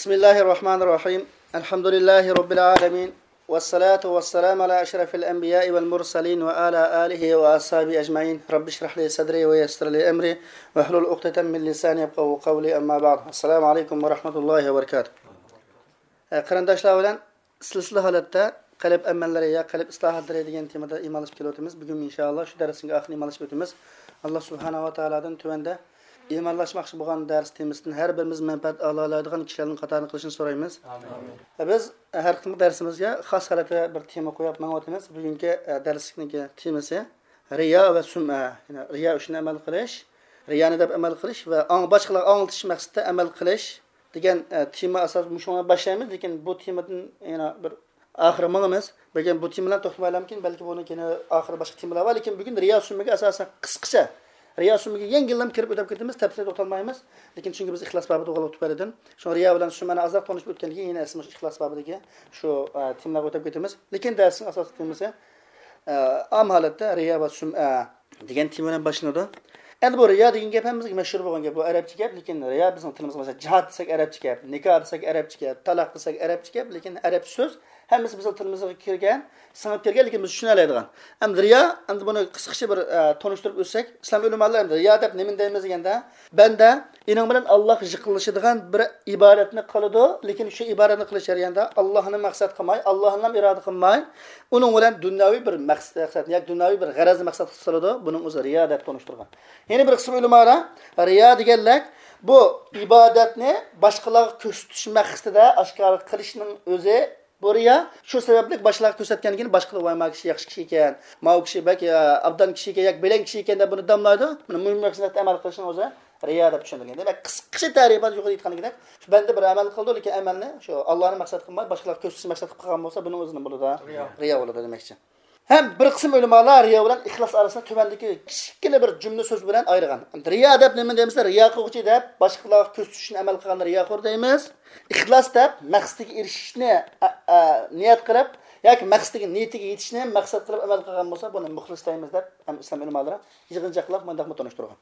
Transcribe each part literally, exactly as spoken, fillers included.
بسم الله الرحمن الرحيم. الحمد لله رب العالمين. والصلاة والسلام على أشرف الأنبياء والمرسلين وعلى آله وأصحابه أجمعين. رب اشرح لي صدري ويسر لي أمري واحلل عقدة من لساني يفقهوا قولي. أما بعد. السلام عليكم ورحمة الله وبركاته. قېرىنداشلار بىلەن سىلسىلە ھالەتتە قەلب ئەمەللىرى يا قەلب ئىسلاھاتلىرى دېگەن تېمىدا ئىمانلىشىپ كېلىۋاتىمىز. بۈگۈن ئىنشائاللا شۇ دەرسنىڭ ئاخىرىنى ئىمانلىشىپ ئۆتىمىز. ئاللا سۇبھانەھۇ ۋە تائالادىن تۆۋەندە ئىمانلاشماقچى بولغان دەرس تېمىسىدىن ھەر بىرىمىز مەنپەئەت ئالالايدىغان كىشىلەرنىڭ قاتارىدا قىلىشىنى سورايمىز. ئامىن. بىز ھەر قېتىملىق دەرسىمىزگە خاس ھالەتتە بىر تېما قويۇپ ماڭىۋاتىمىز. بۈگۈنكى، ئە، دەرسلىكنىڭكى تېمىسى رىيا ۋە سۈمئە. يەنى رىيا ئۈچۈن ئەمەل قىلىش، رىيانى دەپ ئەمەل قىلىش ۋە ئاڭ-، باشقىلارغا ئاڭلىتىش مەقسىتىدە ئەمەل قىلىش دېگەن، ئە، تېما ئاساس مۇشۇنى باشلايمىز، لېكىن بۇ تېمىدىن يەنە بىر ئاخىرى ماڭىمىز. لېكىن بۇ تېما بىلەن توختىمايلامكىن، بەلكى بۇنىڭ كېيىن ئاخىرى باشقا تېمىلار بار، لېكىن بۈگۈن رىيا سۈمئىگە ئاساسەن قىسقىچە، رىيا سۈمئىگە يەڭگىللەم كىرىپ ئۆتۈپ كېتىمىز، تەپسىلىي توختالمايمىز. لېكىن چۈنكى بىز ئىخلاس بابىدا بولغانلىقى تۈپەيلىدىن، شۇڭا رىيا بىلەن سۈمئەنى ئازراق تونۇشۇپ ئۆتكەندىن كېيىن يەنە ئەسلى مۇشۇ ئىخلاس بابىدىكى شۇ، ئە، تېمىلارغا ئۆتۈپ كېتىمىز. لېكىن دەرسنىڭ ئاساسلىق تېمىسى، ئە، ئام ھالەتتە رىيا ۋە سۈمئە دېگەن تېما بىلەن باشلىنىدۇ. ئەمدى بۇ رىيا دېگەن گەپ ھەممىمىزگە مەشھۇر بولغان گەپ، بۇ ئەرەبچە گەپ، لېكىن رىيا بىزنىڭ تىلىمىزغا، مەسىلەن، جىھاد دېسەك ئەرەبچە گەپ، نىكاھ دېسەك ئەرەبچە گەپ، تالاق دېسەك ئەرەبچە گەپ، لېكىن ئەرەب سۆز ھەممىسى بىزنىڭ تىلىمىزغا كىرگەن، سىڭىپ كىرگەن، لېكىن بىز چۈشىنەلەيدىغان. ئەمدى رىيا، ئەمدى بۇنى قىسقىچە بىر، ئە، تونۇشتۇرۇپ ئۆتسەك، ئىسلام ئۆلىمالىرى ئەمدى رىيا دەپ نېمىنى دەيمىز دېگەندە، بەندە ئېنىڭ بىلەن ئاللاغا يېقىنلىشىدىغان بىر ئىبادەتنى قىلىدۇ، لېكىن شۇ ئىبادەتنى قىلىش جەريانىدا ئاللاھنى مەقسەت قىلماي، ئاللاھنىلا ئىرادە قىلماي، ئۇنىڭ بىلەن دۇنياۋى بىر مەقسەت، مەقسەت ياكى دۇنياۋى بىر غەرەزنى مەقسەت قىلىدۇ. بۇنىڭ ئۆزى رىيا دەپ تونۇشتۇرغان. يەنە بىر قىسىم ئۆلىمالار رىيا دېگەنلەر بۇ ئىبادەتنى باشقىلارغا كۆرسىتىش مەقسىتىدە ئاشكارا قىلىشنىڭ ئۆزى بۇ رىيا. شۇ سەۋەبلىك باشقىلارغا كۆرسەتكەندىن كېيىن باشقىلار، ۋاي، ما كىشى ياخشى كىشى ئىكەن، ماۋۇ كىشى بەك، ئە، ئابدان كىشى ئىكەن ياكى بەلەن كىشى ئىكەن دەپ بۇنى داملايدۇ. مانا مۇشۇ مەقسەتتە ئەمەل قىلىشنىڭ ئۆزى رىيا دەپ چۈشەندۈرگەن. دېمەك، قىسقىچە تەرىپات يۇقىرىدا ئېيتقاندەك، شۇ بەندە بىر ئەمەل قىلىدۇ، لېكىن ئەمەلنى شۇ ئاللانى مەقسەت قىلماي، باشقىلارغا كۆرسىتىش مەقسەت قىلىپ قىلغان بولسا، بۇنىڭ ئۆزى نېمە بولىدۇ؟ رىيا. رىيا بولىدۇ دېمەكچى. ھەم بىر قىسىم ئۆلىمالار رىيا بىلەن ئىخلاس ئارىسىنى تۆۋەندىكى كىچىككىنە بىر جۈملە سۆز بىلەن ئايرىغان. رىيا دەپ نېمە دەيمىز؟ رىيا قىلغۇچى دەپ باشقىلارغا كۆرسىتىش ئۈچۈن ئەمەل قىلغاننى رىياخور دەيمىز. ئىخلاس دەپ مەقسىتىگە ئېرىشىشنى، ئە، ئە، نىيەت قىلىپ ياكى مەقسىتىگە، نىيىتىگە يېتىشنى مەقسەت قىلىپ ئەمەل قىلغان بولسا، بۇنى مۇخلىس دەيمىز دەپ ھەم ئىسلام ئۆلىمالىرى يىغىنچاقلاپ مۇنداقمۇ تونۇشتۇرغان.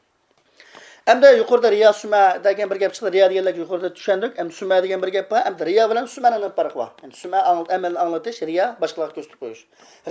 ئەمدى يۇقىرىدا رىيا، سۈمئە دېگەن بىر گەپ چىقتى. رىيا دېگەنلەرگە يۇقىرىدا چۈشەندۇق. ئەمدى سۈمئە دېگەن بىر گەپ بار. ئەمدى رىيا بىلەن سۈمئەنىڭ نېمە پەرقى بار؟ ئەمدى سۈمئە ئاڭ-، ئەمەلنى ئاڭلىتىش، رىيا باشقىلارغا كۆرسىتىپ قويۇش.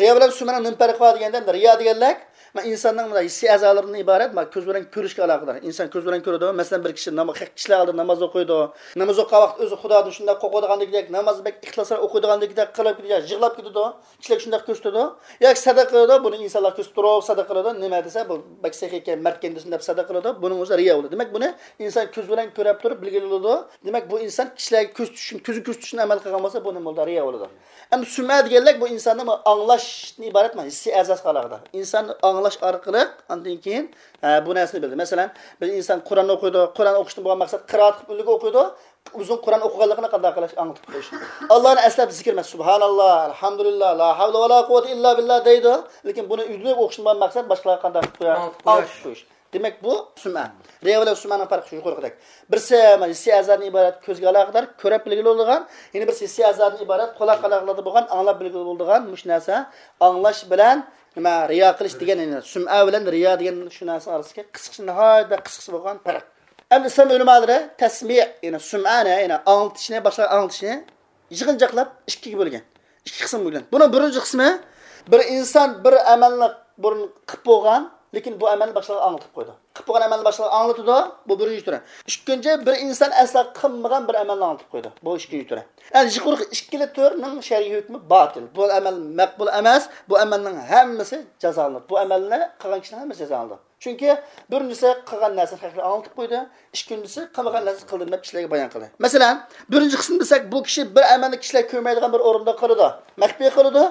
رىيا بىلەن سۈمئەنىڭ نېمە پەرقى بار دېگەندە، ئەمدى رىيا دېگەنلەر، مانا، ئىنساننىڭ مانا ھېسسىي ئەزالىرىدىن ئىبارەت، مانا، كۆز بىلەن كۆرۈشكە ئالاقىدار. ئىنسان كۆز بىلەن كۆرىدۇ. مەسىلەن، بىر كىشى ناما-، كىشىلەر ئالدىدا ناماز ئوقۇيدۇ. ناماز ئوقۇغان ۋاقىت ئۆزى خۇدادىن شۇنداق قورقىدىغاندەك، نامازنى بەك ئىخلاسراق ئوقۇيدىغاندەك قىلىپ كېتىدۇ، يىغلاپ كېتىدۇ. كىشىلەرگە شۇنداق كۆرسىتىدۇ. ياكى سەدىقە قىلىدۇ، بۇنى ئىنسانلار كۆرسىتىپ تۇرۇپ سەدىقە قىلىدۇ. نېمە دېسە، بۇ بەك سېخىي ئىكەن، مەرد ئىكەن دېسۇن دەپ سەدىقە قىلىدۇ. بۇنىڭ ئۆزى رىيا بولىدۇ. دېمەك، بۇنى ئىنسان كۆز بىلەن كۆرۈپ تۇرۇپ بىلگىلى بولىدۇ. دېمەك، بۇ ئىنسان كىشىلەرگە كۆرسىتىش ئۈچۈن، كۆزىگە كۆرسىتىش ئۈچۈن ئەمەل قىلغان بولسا، بۇ نېمە بولىدۇ؟ رىيا بولىدۇ. ئەمدى سۈمئە دېگەنلىك بۇ ئىنساننىڭ ئاڭلاشتىن ئىبارەت، مانا، ھېسسىي ئەزاسىغا ئالاقىدار. ئىنسان ئاڭلاش ئارقىلىق ئاندىن كېيىن، ھە، بۇ نەرسىنى بىلدى. مەسىلەن، بىر ئىنسان قۇرئان ئوقۇيدۇ، قۇرئان ئوقۇشتىن بولغان مەقسەت قىرائەت قىلىپ ئۈنلۈك ئوقۇيدۇ. ئۇزۇن قۇرئان ئوقۇغانلىقىنى قانداق قىلىش؟ ئاڭلىتىپ قويۇش. ئاللانى ئەسلەپ زىكىر، مەسىلەن، سۇبھاناللا، ئەلھەمدۇلىللا، لا ھەۋلە ۋە لا قۇۋۋەتە ئىللا بىللا دەيدۇ. لېكىن بۇنى ئۈنلۈك ئوقۇشتىن بولغان مەقسەت باشقىلارغا قانداق قىلىپ قويار؟ ئاڭلىتىپ قويۇش. ئاڭلىتىپ قويۇش. دېمەك، بۇ سۈمئە. رىيا بىلەن سۈمئەنىڭ پەرقى شۇ يۇقىرىقىدەك. بىرسى ھېسسىي ئەزادىن ئىبارەت، كۆزگە ئالاقىدار، كۆرۈپ بىلگىلى بولىدىغان، يەنە بىرسى ھېسسىي ئەزادىن ئىبارەت، قۇلاق ئالاقىلىرىدا بولغان، ئاڭلاپ بىلگىلى بولىدىغان مۇشۇ نەرسە. ئاڭلاش بىلەن نېمە، رىيا قىلىش دېگەن، يەنى سۈمئە بىلەن رىيا دېگەن شۇ نەرسە ئارىسىدىكى قىسقىچە، ناھايىتى بەك قىسقىچە بولغان پەرق. ئەمدى ئىسلام ئۆلىمالىرى تەسمىئ، يەنى سۈمئەنى، يەنى ئاڭلىتىشنى، باشقىلارغا ئاڭلىتىشنى يىغىنچاقلاپ ئىككىگە بۆلگەن. ئىككى قىسىمغا بۆلگەن. بۇنىڭ بىرىنچى قىسمى، بىر ئىنسان بىر ئەمەلنى بۇرۇن قىلىپ بولغان، لېكىن بۇ ئەمەلنى باشقىلارغا ئاڭلىتىپ قويىدۇ. قىلىپ بولغان ئەمەلنى باشقىلارغا ئاڭلىتىدۇ. بۇ بىرىنچى تۈرى. ئىككىنچى، بىر ئىنسان ئەسلا قىلمىغان بىر ئەمەلنى ئاڭلىتىپ قويىدۇ. بۇ ئىككىنچى تۈرى. يەنى يۇقىرىقى ئىككىلا تۈرنىڭ شەرئىي ھۆكمى باتىل. بۇ ئەمەل مەقبۇل ئەمەس. بۇ ئەمەلنىڭ ھەممىسى جازالىنىدۇ. بۇ ئەمەلنى قىلغان كىشىنىڭ ھەممىسى جازالىنىدۇ. چۈنكى بىرىنچىسى قىلغان نەرسىنى خەقلەرگە ئاڭلىتىپ قويدى، ئىككىنچىسى قىلمىغان نەرسىنى قىلدىم دەپ كىشىلەرگە بايان قىلدى. مەسىلەن، بىرىنچى قىسىم دېسەك، بۇ كىشى بىر ئەمەلنى كىشىلەر كۆرمەيدىغان بىر ئورۇندا قىلىدۇ، مەخپىي قىلىدۇ.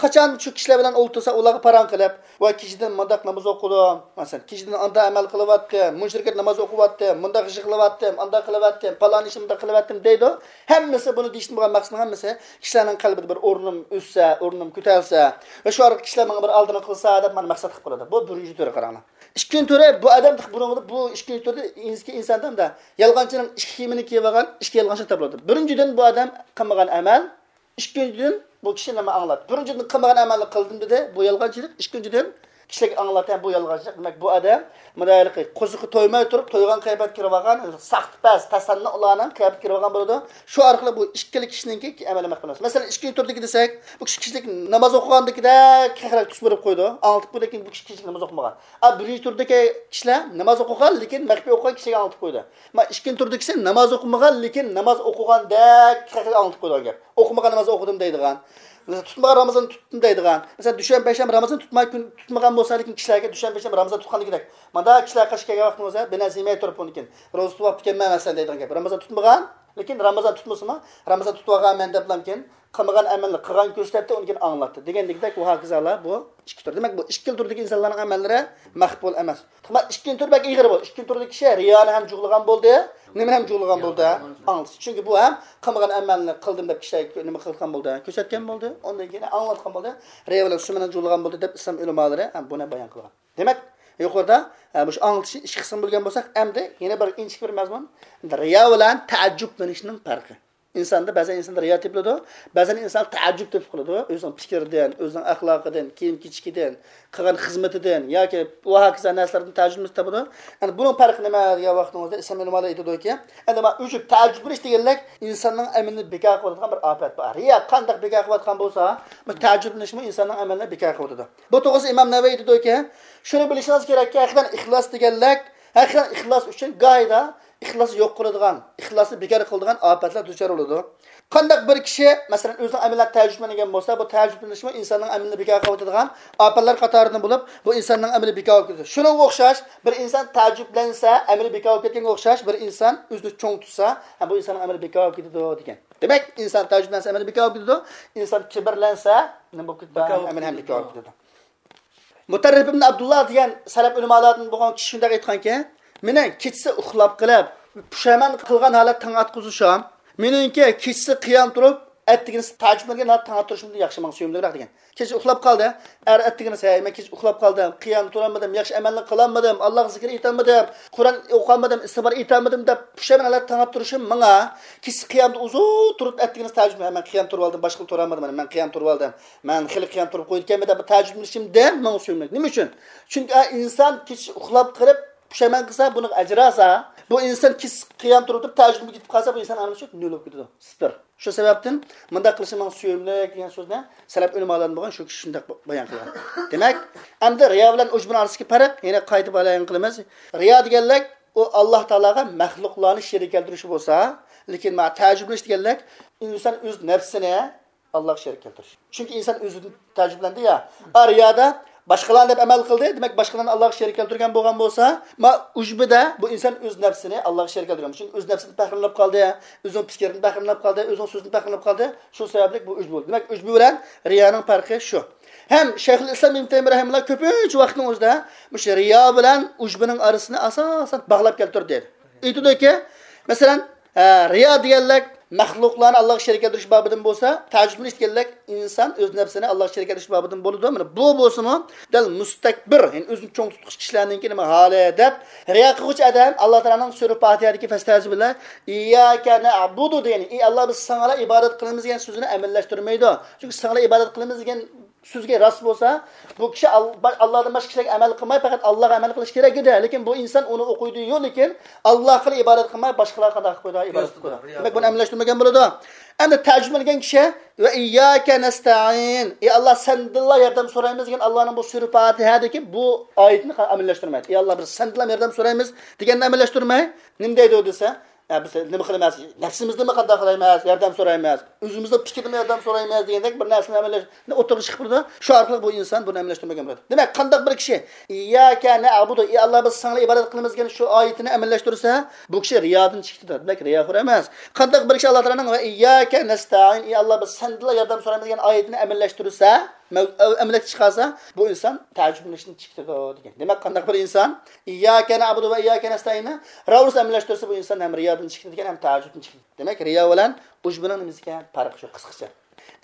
قاچان شۇ كىشىلەر بىلەن ئولتۇرسا، ئۇلارغا پاراڭ قىلىپ، ۋاي، كېچىدىن مۇنداق ناماز ئوقۇدۇم، مەسىلەن، كېچىدىن ئانداق ئەمەل قىلىۋەتتىم، مۇنچە رەكەت ناماز ئوقۇۋەتتىم، مۇنداق يىغلاۋەتتىم، ئانداق قىلىۋەتتىم، پالان ئىشنى مۇنداق قىلىۋەتتىم دەيدۇ. ھەممىسى بۇنى دېيىشتىن بولغان مەقسىتىنىڭ ھەممىسى كىشىلەرنىڭ قەلبىدە بىر ئورنۇم ئۆسسە، ئورنۇم كۆتەرسە ۋە شۇ ئارقىلىق كىشىلەر ماڭا بىر ئالدىنى قىلسا دەپ مانا مەقسەت قىلىپ قويىدۇ. بۇ بىرىنچى تۈرى قاراڭلار. ئىككىنچى تۈرى، بۇ ئادەم بۇنىڭدا، بۇ ئىككىنچى تۈردە ئىنسكى ئىنساندا ئۇنداق يالغانچىنىڭ ئىككى كىيىمىنى كىيىۋالغان ئىككى يالغانچى تاپىلىدۇ. بىرىنچىدىن، بۇ ئادەم قىلمىغان ئەمەل، ئىككىنچىدىن، بۇ كىشى نېمە ئاڭلاپ، بىرىنچىدىن، قىلمىغان ئەمەلنى قىلدىم دېدى، بۇ يالغانچىلىق. ئىككىنچىدىن، كىشىلەرگە ئاڭلىتىمەن بۇ يالغانچىلىق. دېمەك، بۇ ئادەم مۇنداق ھېلىقى قوزىقى تويماي تۇرۇپ، تويغان قىياپەتكە كىرىۋالغان، ساختىپەز، تەسەننۇلارنىڭ قىياپىتىگە كىرىۋالغان بولىدۇ. شۇ ئارقىلىق بۇ ئىككىلا كىشىنىڭكى ئەمەلىي مەخپىي نامازى. مەسىلەن، ئىككىنچى تۈردىكى دېسەك، بۇ كىشى كىشىلىك ناماز ئوقۇغاندىكىدەك خەقلەر تۈس بېرىپ قويىدۇ. ئاڭلىتىپ قويىدۇ، لېكىن بۇ كىشى كىشىلىك ناماز ئوقۇمىغان. ئا، بىرىنچى تۈردىكى كىشىلەر ناماز ئوقۇغان، لېكىن مەخپىي ئوقۇغان كىشىگە ئاڭلىتىپ قويىدۇ. ما ئىككىنچى تۈردىكىسى ناماز ئوقۇمىغان، لېكىن ناماز ئوقۇغاندەك خەقلەرگە ئاڭلىتىپ قويىدىغان گەپ. ئوقۇمىغان ناماز ئوقۇدۇم دەيدىغان. مەسىلەن، تۇتمىغان رامىزان تۇتتۇم دەيدىغان. مەسىلەن، دۈشەنبە، پەيشەنبە رامىزان تۇتماي كۈن، تۇتمىغان بولسا، لېكىن كىشىلەرگە دۈشەنبە، پەيشەنبە رامىزان تۇتقاندىكىدەك، مانا كىشىلەر قاش كەلگەن ۋاقتىڭىزدا بىر نەرسە يېمەي تۇرۇپ، ئۇنىڭ كېيىن روزا تۇتۇپ بوپتىكەنمەن مەسىلەن دەيدىغان گەپ. رامىزان تۇتمىغان، لېكىن رامىزان تۇتمىسىمۇ، رامىزان تۇتۇۋالغانمەن دەپلا كېيىن قىلمىغان ئەمەلنى قىلغان كۆرسەتتى، ئۇنىڭ كېيىن ئاڭلاتتى دېگەندىكىدەك، ۋە ھاكازالار بۇ ئىككى تۈر. دېمەك، بۇ ئىككىلا تۈردىكى ئىنسانلارنىڭ ئەمەللىرى مەقبۇل ئەمەس. تېخى ئىككىنچى تۈر بەك ئېغىر بۇ. ئىككىنچى تۈردىكى كىشى رىيانى ھەم جۇغلىغان بولدى، نېمىنى ھەم جۇغلىغان بولدى؟ ئاڭلىتىش. چۈنكى بۇ ھەم قىلمىغان ئەمەلنى قىلدىم دەپ كىشىلەرگە نېمە قىلغان بولدى؟ كۆرسەتكەن بولدى. ئۇندىن كېيىن ئاڭلاتقان بولدى. رىيا بىلەن سۈمئىنى جۇغلىغان بولدى دەپ ئىسلام ئۆلىمالىرى ھەم بۇنى بايان قىلغان. دېمەك، يۇقىرىدا، ئە، مۇشۇ ئاڭلىتىشنى ئىككى قىسىم بۆلگەن بولساق، ئەمدى يەنە بىر ئىنچىكە بىر مەزمۇن. رىيا بىلەن تەئەججۈپلىنىشنىڭ پەرقى. ئىنساندا، بەزەن ئىنساندا رىيا تېپىلىدۇ، بەزەن ئىنسان تەئەججۈپ تېپىپ قالىدۇ. ئۆزىنىڭ پىكرىدىن، ئۆزىنىڭ ئەخلاقىدىن، كىيىم-كېچىكىدىن، قىلغان خىزمىتىدىن ياكى ۋە ھاكازا نەرسىلەردىن تەئەججۈپ تېپىدۇ. ئەمدى بۇنىڭ پەرقى نېمە دېگەن ۋاقتىڭىزدا ئىسلام ئۆلىمالىرى ئېيتىدۇكى، ئەمدى مانا ئۆزى تەئەججۈپلىنىش دېگەنلىك ئىنساننىڭ ئەمىلىنى بىكار قىلىۋاتقان بىر ئاپەت بار. رىيا قانداق بىكار قىلىۋاتقان بولسا، بۇ تەئەججۈپلىنىشمۇ ئىنساننىڭ ئەمىلىنى بىكار قىلىۋاتىدۇ. بۇ توغرىسىدا ئىمام نەۋەۋى ئېيتىدۇكى، شۇنى بىلىشىڭىز كېرەككى، ھەقىقەتەن ئىخلاس دېگەنلىك، ھەقىقەتەن ئىخلاس ئۈچۈن گاھىدا ئىخلاسنى يوق قىلىدىغان، ئىخلاسنى بىكار قىلىدىغان ئاپەتلەر دۇچار بولىدۇ. قانداق بىر كىشى، مەسىلەن، ئۆزىنىڭ ئەمىلىدە تەئەججۈپلەنگەن بولسا، بۇ تەئەججۈپلىنىشمۇ ئىنساننىڭ ئەمىلىنى بىكار قىلىۋېتىدىغان ئاپەتلەر قاتارىدىن بولۇپ، بۇ ئىنساننىڭ ئەمىلى بىكار بولۇپ كېتىدۇ. شۇنىڭغا ئوخشاش، بىر ئىنسان تەئەججۈپلەنسە، ئەمىلى بىكار بولۇپ كەتكەنگە ئوخشاش، بىر ئىنسان ئۆزىنى چوڭ تۇتسا، ھە، بۇ ئىنساننىڭ ئەمىلى بىكار بولۇپ كېتىدۇ دېگەن. دېمەك، ئىنسان تەئەججۈپلەنسە، ئەمىلى بىكار بولۇپ كېتىدۇ. ئىنسان كىبىرلەنسە، نېمە بولۇپ كېتىدۇ؟ بىكار بولۇپ ئەمىلى ھەم كېتىدۇ. بىكار بولۇپ كېتىدۇ. مۇتەررىپ ئىبن ئابدۇللا دېگەن سەلەپ ئۆلىمالاردىن بولغان كىشى شۇنداق ئېيتقانكى، مېنىڭ كېچىسى ئۇخلاپ قېلىپ، پۇشايمان قىلغان ھالەت تاڭ ئاتقۇزۇشۇم، مېنىڭكى كېچىسى قىيام تۇرۇپ، ئەتىگىنىسى تەھەججۇد قىلغان ھالەت تاڭ ئاتتۇرۇشۇمدىن ياخشى، ماڭا سۆيۈملۈكرەك دېگەن. كېچە ئۇخلاپ قالدى، ئەر ئەتىگىنىسى، ھەي، مەن كېچە ئۇخلاپ قالدىم، قىيام تۇرالمىدىم، ياخشى ئەمەلنى قىلالمىدىم، ئاللاغا زىكىر ئېيتالمىدىم، قۇرئان ئوقۇيالمىدىم، ئىستىغپار ئېيتالمىدىم دەپ پۇشايمان ھالەت تاڭ ئاتتۇرۇشۇم ماڭا كېچىسى قىيامدا ئۇزۇن تۇرۇپ، ئەتىگىنىسى تەھەججۇد، ھە، مەن قىيام تۇرۇۋالدىم، باشقىلا تۇرالمىدىم، مانا مەن قىيام تۇرۇۋالدىم. مەن خېلى قىيام تۇرۇپ قويىدىكەنمەن دەپ تەئەججۈپلىنىشىمدىن ماڭا سۆيۈملۈك. نېمە ئۈچۈن؟ چۈنكى ئا، ئىنسان كېچە ئۇخلاپ قېلىپ پۇشايمان قىلسا، بۇنىڭغا ئەجىر ئالسا، بۇ ئىنسان كېچە قىيام تۇرۇپ تەھەججۇدمۇ كېتىپ قالسا، بۇ ئىنسان ئەمەلى شۇ نۆل بولۇپ كېتىدۇ. سىپىر. شۇ سەۋەبتىن مۇنداق قىلىشى ماڭا سۆيۈملۈك دېگەن سۆزنى سەلەپ ئۆلىمالىرىدىن بولغان شۇ كىشى شۇنداق بايان قىلغان. دېمەك، ئەمدى رىيا بىلەن ئۇجبىنىڭ ئارىسىدىكى پەرق يەنە قايتا بايان قىلىمىز. رىيا دېگەنلىك ئۇ ئاللاھ تائالاغا مەخلۇقلارنى شېرىك كەلتۈرۈشى بولسا، لېكىن مانا تەئەججۈپلىنىش دېگەنلىك ئىنسان ئۆز نەپسىنى ئاللاغا شېرىك كەلتۈرۈش. چۈنكى ئىنسان ئۆزىدىن تەئەججۈپلەندى يا. ئا، رىيادا باشقىلارنى دەپ ئەمەل قىلدى، دېمەك، باشقىلارنى ئاللاغا شېرىك كەلتۈرگەن بولغان بولسا، ما ئۇجبىدە بۇ ئىنسان ئۆز نەپسىنى ئاللاغا شېرىك كەلتۈرگەن. چۈنكى ئۆز نەپسىدىن پەخىرلىنىپ قالدى، ئۆزىنىڭ پىكرىدىن پەخىرلىنىپ قالدى، ئۆزىنىڭ سۆزىدىن پەخىرلىنىپ قالدى. شۇ سەۋەبلىك بۇ ئۇجبە بولدى. دېمەك، ئۇجبە بىلەن رىيانىڭ پەرقى شۇ. ھەم شەيخۇل ئىسلام ئىبن تەيمىيە رەھىمەھۇللا كۆپىنچە ۋاقىتنىڭ ئۆزىدە مۇشۇ رىيا بىلەن ئۇجبىنىڭ ئارىسىنى ئاساسەن باغلاپ كەلتۈردى. ئېيتىدۇكى، مەسىلەن، ھە، رىيا دېگەنلىك مەخلۇقلارنى ئاللاغا شېرىك كەلتۈرۈش بابىدىن بولسا، تەئەججۈپلىنىش دېگەنلىك ئىنسان ئۆز نەپسىنى ئاللاغا شېرىك كەلتۈرۈش بابىدىن بولىدۇ. مانا بۇ بولسىمۇ دەل مۇستەكبىر، يەنى ئۆزىنى چوڭ تۇتقۇچى كىشىلەرنىڭكى نېمە ھالى دەپ، رىيا قىلغۇچى ئادەم ئاللا تائالانىڭ سۈرە پاتىھەدىكى فەستەئىزۇ بىللە، ئىيياكە نەئبۇدۇ دېگەن، ئى ئاللا، بىز ساڭىلا ئىبادەت قىلىمىز دېگەن سۆزىنى ئەمەللەشتۈرمەيدۇ. چۈنكى ساڭىلا ئىبادەت قىلىمىز دېگەن سۆزگە راست بولسا، بۇ كىشى ئال-، با-، ئاللادىن باشقا كىشىلەرگە ئەمەل قىلماي، پەقەت ئاللاغا ئەمەل قىلىشى كېرەك ئىدى. لېكىن بۇ ئىنسان ئۇنى ئوقۇيدۇ-يۇ، لېكىن ئاللاغا ئىبادەت قىلماي، باشقىلارغا قانداق قىلىپ قويىدۇ؟ ئىبادەت قىلىپ قويىدۇ. دېمەك، بۇنى ئەمەللەشتۈرمىگەن بولىدۇ. ئەمدى تەرجىمە قىلگەن كىشى، ۋە ئىيياكە نەستەئىن، ئى ئاللا، سەندىنلا ياردەم سورايمىز دېگەن ئاللانىڭ بۇ سۈرە پاتىھەدىكى بۇ ئايىتىنى ئەمەللەشتۈرمەيدۇ. ئى ئاللا، بىز سەندىنلا ياردەم سورايمىز دېگەننى ئەمەللەشتۈرمەي، نېمە دەيدۇ دېسە، ھە، بىز نېمە قىلىمىز؟ نەپسىمىزدىنمۇ قانداق قىلايمىز؟ ياردەم سورايمىز. ئۆزىمىزنىڭ پىكرىدىنمۇ ياردەم سورايمىز دېگەندەك بىر نەرسىنى ئەمەللەش-، ئوتتۇرىغا چىقىپ تۇرىدۇ. شۇ ئارقىلىق بۇ ئىنسان بۇنى ئەمەللەشتۈرمىگەن بولىدۇ. دېمەك، قانداق بىر كىشى ئىيياكە نەئبۇدۇ، ئى ئاللا، بىز ساڭىلا ئىبادەت قىلىمىز دېگەن شۇ ئايىتىنى ئەمەللەشتۈرسە، بۇ كىشى رىيادىن چىقىدۇ. دېمەك، رىياخور ئەمەس. قانداق بىر كىشى ئاللا تائالانىڭ ۋە ئىيياكە نەستەئىن، ئى ئاللا، بىز سەندىنلا ياردەم سورايمىز دېگەن ئايىتىنى ئەمەللەشتۈرسە، مەۋ-، ئەمەلىيەتكە چىقارسا، بۇ ئىنسان تەئەججۈپلىنىشتىن چىقىدۇ دېگەن. دېمەك، قانداق بىر ئىنسان ئىيياكە نەئبۇدۇ ۋە ئىيياكە نەستەئىننى راۋۇرۇس ئەمەللەشتۈرسە، بۇ ئىنسان ھەم رىيادىن چىقىدۇ دېگەن، ھەم تەئەججۈپتىن چىقىدۇ. دېمەك، رىيا بىلەن ئۇجبىنىڭ نېمىسى ئىكەن؟ پەرقى شۇ قىسقىچە.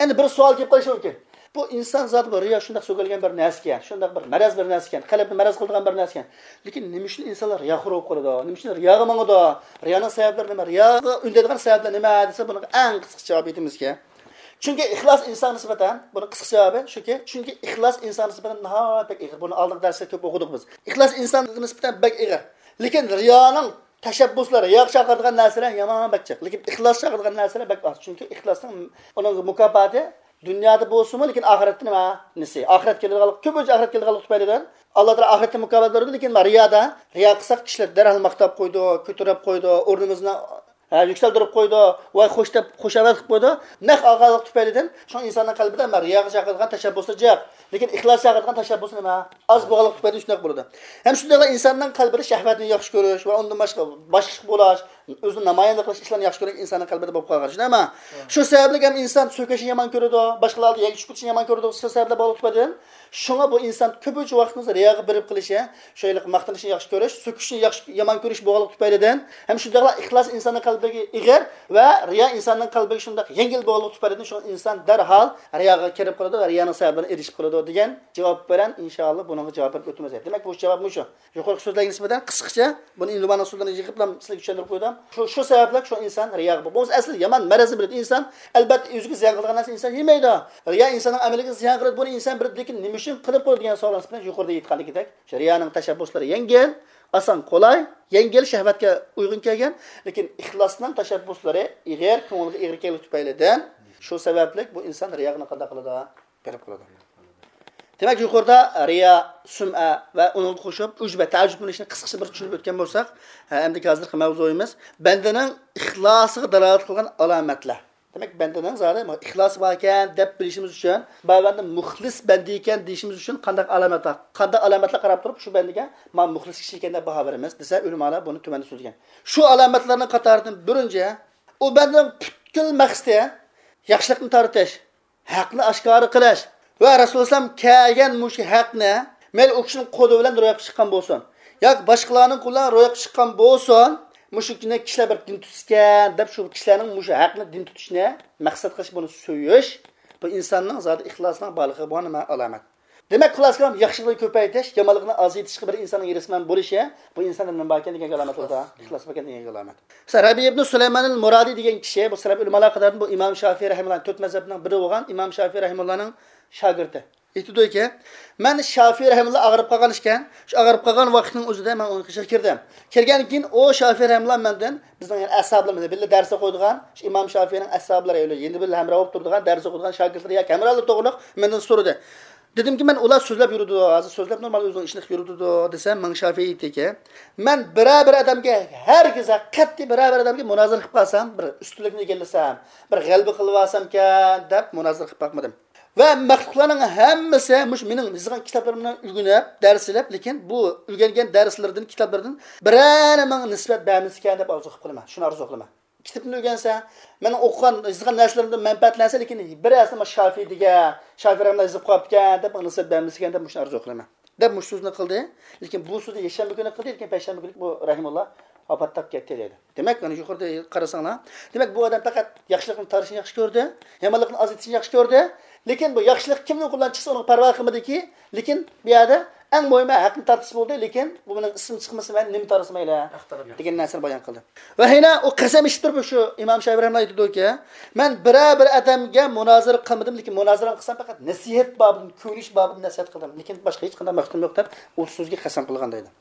ئەمدى بىر سوئال كېلىپ قېلىشى مۇمكىن. بۇ ئىنسان زادى بۇ رىيا شۇنداق سۆگەلگەن بىر نەرسىكەن، شۇنداق بىر مەرەز بىر نەرسىكەن، قەلبنى مەرەز قىلىدىغان بىر نەرسىكەن. لېكىن نېمە ئۈچۈن ئىنسانلار رىياخور بولۇپ قالىدۇ؟ نېمە ئۈچۈن رىياغا ماڭىدۇ؟ رىيانىڭ سەۋەبلىرى نېمە؟ رىياغا ئۈندەيدىغان سەۋەبلەر نېمە دېسە، بۇنىڭغا ئەڭ قىسقىچە جاۋاب ئېيتىمىزكى، چۈنكى ئىخلاس ئىنسانغا نىسبەتەن، بۇنىڭ قىسقىچە جاۋابى شۇكى، چۈنكى ئىخلاس ئىنسانغا نىسبەتەن ناھايىتى بەك ئېغىر. بۇنى ئالدىنقى دەرستە كۆپ ئوقۇدۇق بىز. ئىخلاس ئىنسانغا نىسبەتەن بەك ئېغىر. لېكىن رىيانىڭ تەشەببۇسلار، رىياغا چاقىرىدىغان نەرسىلەر يامان بەك جىق. لېكىن ئىخلاس چاقىرىدىغان نەرسىلەر بەك ئاز. چۈنكى ئىخلاسنىڭ ئۇنىڭ مۇكاپاتى دۇنيادا بولسىمۇ، لېكىن ئاخىرەتتە نېمە؟ نېسى؟ ئاخىرەت كېلىدىغانلىق، كۆپىنچە ئاخىرەت كېلىدىغانلىق تۈپەيلىدىن، ئاللا تائالا ئاخىرەتتە مۇكاپات بېرىدۇ، لېكىن رىيادا، رىيا قىلساق، كىشىلەر دەرھال ماختاپ قويىدۇ، كۆتۈرۈپ قويىدۇ، ئورنىمىزنى، ھە، يۈكسەلدۈرۈپ قويىدۇ، ۋاي خوش دەپ خۇشامەت قىلىپ قويىدۇ. نەق ئالغانلىق تۈپەيلىدىن شۇڭا ئىنساننىڭ قەلبىدە مەن رىياغا چاقىرىدىغان تەشەببۇسى جىق، لېكىن ئىخلاس چاقىرىدىغان تەشەببۇسى نېمە؟ ئاز بولغانلىق تۈپەيلىدىن شۇنداق بولىدۇ. ھەم شۇنداقلا ئىنساننىڭ قەلبىدە شەھۋەتنى ياخشى كۆرۈش ۋە ئۇندىن باشقا، باشقا ئىش بولاش، ئۆزىنى نامايەندە قىلىش ئىشلارنى ياخشى كۆرگەن ئىنساننىڭ قەلبىدە بولۇپ قالغان. شۇنداقمۇ؟ شۇ سەۋەبلىك ھەم ئىنسان سۆكۈشنى يامان كۆرىدۇ، باشقىلاردا يەرگە چۈشۈپ كېتىشنى يامان كۆرىدۇ. شۇ سەۋەبلەر بولغانلىق تۈپەيلىدىن شۇڭا بۇ ئىنسان كۆپىنچە ۋاقتىمىز رىياغا بېرىپ قېلىشى، شۇ ھېلىقى ماختىنىشنى ياخشى كۆرۈش، سۆكۈشنى ياخشى، يامان كۆرۈش بولغانلىق تۈپەيلىدىن، ھەم شۇنداقلا ئىخلاس ئىنساننىڭ قەلبىگە ئېغىر ۋە رىيا ئىنساننىڭ قەلبىگە شۇنداق يەڭگىل بولغانلىق تۈپەيلىدىن شۇ ئىنسان دەرھال رىياغا كىرىپ قالىدۇ ۋە رىيانىڭ سەۋەبىدىن ئېرىشىپ قالىدۇ دېگەن جاۋاب بىلەن ئىنشائاللا بۇنىڭغا جاۋاب بېرىپ ئۆتىمىز. دېمەك، بۇ جاۋاب مۇشۇ. يۇقىرىقى سۆزلەرگە نىسبەتەن قىسقىچە، بۇنى ئىمام ئۇسۇلدىن يىغىپلا سىلەرگە چۈشەندۈرۈپ قويدۇم. شۇ، شۇ سەۋەبلىك شۇ ئىنسان رىياغا، بولمىسا ئەسلى يامان مەرەزنى بىلىدۇ ئئىنسان. ئەلبەتتە، ئۆزىگە زىيان قىلىدىغان نەرسە ئىنسان يېمەيدۇ. رىيا ئىنساننىڭ ئەمىلىگە زىيان قىلىدۇ، بۇنى ئىنسان بىلىدۇ، لېكىن نېمە ئۈچۈن قىلىپ قويدى دېگەن سوئالنىڭ ئىسمىنى يۇقىرىدا ئېيتقاندىكىدەك، شۇ رىيانىڭ تەشەببۇسلىرى يەڭگىل، ئاسان، قولاي، يەڭگىل، شەھۋەتكە ئۇيغۇن كەلگەن، لېكىن ئىخلاسنىڭ تەشەببۇسلىرى ئېغىر، كۆڭۈلگە ئېغىر كەلگەن تۈپەيلىدىن، شۇ سەۋەبلىك بۇ ئىنسان رىياغا قانداق قىلىدۇ؟ بېرىپ قالىدۇ. دېمەك، يۇقىرىدا رىيا، سۈمئە ۋە ئۇنىڭغا قوشۇپ ئۇجبە، تەئەججۈبلىنىشنى قىسقىچە بىر چۈشىنىپ ئۆتكەن بولساق، ھە، ئەمدىكى ھازىرقى مەۋزۇيىمىز بەندىنىڭ ئىخلاسىغا دالالەت قىلغان ئالامەتلەر. دېمەك، بەندىنىڭ زادى ئىخلاسى باركەن دەپ بىلىشىمىز ئۈچۈن، بەندە مۇخلىس بەندە ئىكەن دېيىشىمىز ئۈچۈن قانداق ئالامەت بار؟ قانداق ئالامەتلەر قاراپ تۇرۇپ شۇ بەندىگە مانا مۇخلىس كىشى ئىكەن دەپ باھا بېرىمىز دېسە، ئۆلىمالار بۇنى تۆۋەندە سۆزلىگەن. شۇ ئالامەتلەرنىڭ قاتارىدىن بىرىنچى، ئۇ بەندىنىڭ پۈتكۈل مەقسىتى ياخشىلىقنى تارتىش، ھەقنى ئاشكارا قىلىش ۋە رەسۇلۇللاھ كەلگەن مۇشۇ ھەقنى مەيلى ئۇ كىشىنىڭ قولى بىلەن روياپقا چىققان بولسۇن ياكى باشقىلارنىڭ قولى بىلەن روياپقا چىققان بولسۇن، مۇشۇ كىشىلەر بىر دىن تۇتسىكەن دەپ شۇ كىشىلەرنىڭ مۇشۇ ھەقنى دىن تۇتۇشىنى مەقسەت قىلىش، بۇنى سۆيۈش، بۇ ئىنساننىڭ زادى ئىخلاسىنىڭ بارلىقىغا بولغان نېمە؟ ئالامەت. دېمەك، خۇلاسە كالام، ياخشىلىقنى كۆپەيتىش، يامانلىقنى ئازايتىشقا بىر ئىنساننىڭ ھېرىسمەن بولۇشى، بۇ ئىنساندا نېمە باركەن دېگەنگە ئالامەت بولىدۇ. ئىخلاس باركەن دېگەنگە ئالامەت. مەسىلەن، رەبىئە ئىبنى سۇلايمانىل مۇرادى دېگەن كىشى، بۇ سەلەپ ئۆلىمالار قاتارىدىن، بۇ ئىمام شافىئى رەھىمۇللاھنىڭ تۆت مەزھەپنىڭ بىرى بولغان ئىمام شافىئى رەھىمۇللاھنىڭ شاگىرتى. ئېيتىدۇكى، مەن شافىئى رەھىمۇللا ئاغرىپ قالغان ئىكەن، شۇ ئاغرىپ قالغان ۋاقىتنىڭ ئۆزىدە مەن ئۇنىڭ قېشىغا كىردىم. كىرگەندىن كېيىن ئۇ شافىئى رەھىمۇللا مەندىن، بىزنىڭ يەنە ئەسھابلىرىمىز، بىللە دەرس ئوقۇيدىغان، شۇ ئىمام شافىئىنىڭ ئەسھابلىرى، يەنە بىللە ھەمراھ بولۇپ تۇرىدىغان، دەرس ئوقۇيدىغان شاگىرتلىرى ياكى ھەمراھلىرى توغرىلىق مەندىن سورىدى. دېدىمكى، مەن ئۇلار سۆزلەپ يۈرىدۇ، ھازىر سۆزلەپ نورمال ئۆزىنىڭ ئىشىنى قىلىپ يۈرىدۇ دېسەم، ماڭا شافىئى ئېيتتىكى، مەن بىرەر بىر ئادەمگە، ھەرگىز قەتئىي بىرەر بىر ئادەمگە مۇنازىرە قىلىپ قالسام، بىر ئۈستۈنلۈكنى ئىگىلىسەم، بىر غەلىبە قىلىۋالسامكەن دەپ مۇنازىرە قىلىپ باقمىدىم. ۋە مەخلۇقلارنىڭ ھەممىسى مۇشۇ مېنىڭ يېزىغان كىتابلىرىمنى ئۆگىنىپ، دەرس ئېلىپ، لېكىن بۇ ئۆگەنگەن دەرسلىرىدىن، كىتابلىرىدىن بىرەرى ماڭا نىسبەت بەرمىسىكەن دەپ ئارزۇ قىلىپ قالىمەن. شۇنى ئارزۇ قىلىمەن. كىتابنى ئۆگەنسە، مەن ئوقۇغان، يېزىلغان نەرسىلىرىمدىن مەنپەئەتلەنسە، لېكىن بىرەرسى مانا شافىئى دېگەن، شافىئى رەھىمۇللا يېزىپ قويۇپتىكەن دەپ ماڭا نىسبەت بەرمىسىكەن دەپ مۇشۇنى ئارزۇ قىلىمەن. دەپ مۇشۇ سۆزنى قىلدى. لېكىن بۇ سۆزنى يەكشەنبە كۈنى قىلدى، لېكىن پەيشەنبە كۈنى بۇ رەھىمۇللا ۋاپات تاپكەن دەيدۇ. دېمەك، مانا يۇقىرىدا قارىساڭلار، دېمەك، بۇ ئادەم پەقەت ياخشىلىقنى تارتىشنى ياخشى كۆردى، يامانلىقنى ئازايتىشنى ياخشى كۆردى. لېكىن بۇ ياخشىلىق كىمنىڭ قولىدىن چىقسا، ئۇنىڭغا پەرۋا قىلمىدىكى، لېكىن بۇ يەردە ئەڭ مۇھىمى ھەقنى تارتىش بولدى، لېكىن بۇ مېنىڭ ئىسمىم چىقمىسا، مەن نېمە تارتسا مەيلى دېگەن نەرسىنى بايان قىلدى. ۋە يەنە ئۇ قەسەم ئىچىپ تۇرۇپ شۇ ئىمام شافىئى رەھىمۇللا ئېيتىدۇكى، مەن بىرەر بىر ئادەمگە مۇنازىرە قىلمىدىم، لېكىن مۇنازىرە قىلسام پەقەت نەسىھەت بابىدىن، كۆيۈنۈش بابىدىن نەسىھەت قىلدىم، لېكىن باشقا ھېچقانداق مەقسىتىم يوق دەپ ئۇ سۆزگە قەسەم قىلغان دەيدۇ.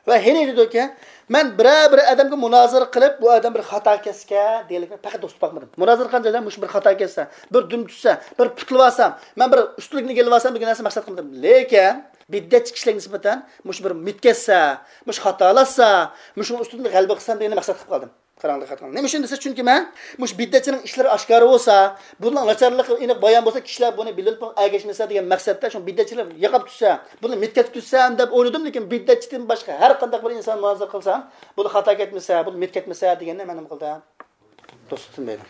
ۋە يەنە ئېيتىدۇكى، مەن بىرەر بىر ئادەمگە مۇنازىرە قىلىپ، بۇ ئادەم بىر خاتا كەتسىكەن دېگەنلىكنى پەقەت توسۇپ باقمىدىم. مۇنازىرە قىلغان جايدا مۇشۇ بىر خاتا كەتسە، بىر دۈم چۈشسە، بىر پۇتلىۋالسام، مەن بىر ئۈستۈنلۈكنى ئىگىلىۋالسام دېگەن نەرسە مەقسەت قىلمىدىم. لېكىن بىدئەتچى كىشىلەرگە نىسبەتەن مۇشۇ بىر مىت كەتسە، مۇشۇ خاتالاشسا، مۇشۇنىڭ ئۈستىدىن غەلىبە قىلسام دېگەننى مەقسەت قىلىپ قالدىم. قاراڭ، دىققەت قىلىڭ. نېمە ئۈچۈن دېسە، چۈنكى مەن مۇشۇ بىدئەتچىنىڭ ئىشلىرى ئاشكارا بولسا، بۇنىڭ ناچارلىقى ئېنىق بايان بولسا، كىشىلەر بۇنى بىلىپ ئەگەشمىسە دېگەن مەقسەتتە شۇ بىدئەتچىلەر ياقاپ تۇتسا، بۇنى مىت كەتتۈرسەم دەپ ئويلىدىم، لېكىن بىدئەتچىدىن باشقا ھەر قانداق بىر ئىنسان مۇنازىرە قىلسام، بۇنى خاتا كەتمىسە، بۇنى مىت كەتمىسە دېگەننى مەن نېمە قىلدىم؟ توسۇپ تۇتمايدۇ.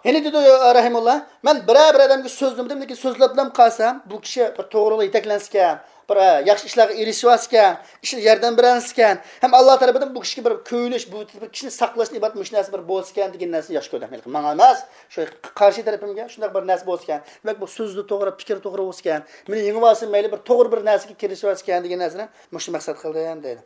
يەنە دېدى، رەھىمۇللا، مەن بىرەر بىر ئادەمگە سۆزلىمىدىم، لېكىن سۆزلەپلا قالسام، بۇ كىشى بىر توغرىلىققا يېتەكلەنسىكەن، بىر، ئە، ياخشى ئىشلارغا ئېرىشىۋالسىكەن، ئىشلار ياردەم بېرەلسىكەن، ھەم ئاللا تەرىپىدىن بۇ كىشىگە بىر كۆيۈنۈش، بۇ بىر كىشىنى ساقلاشتىن ئىبارەت مۇشۇ نەرسە بىر بولسىكەن دېگەن نەرسىنى ياخشى كۆردۈم. ھېلىقى ماڭا ئەمەس، شۇ قارشى تەرىپىمگە شۇنداق بىر نەرسە بولسىكەن، دېمەك، بۇ سۆزى توغرا، پىكرى توغرا بولسىكەن، مېنى يېڭىۋالسۇن، مەيلى بىر توغرا بىر نەرسىگە كىرىشىۋالسىكەن دېگەن نەرسىنى مۇشۇ مەقسەت قىلدىم دەيدۇ.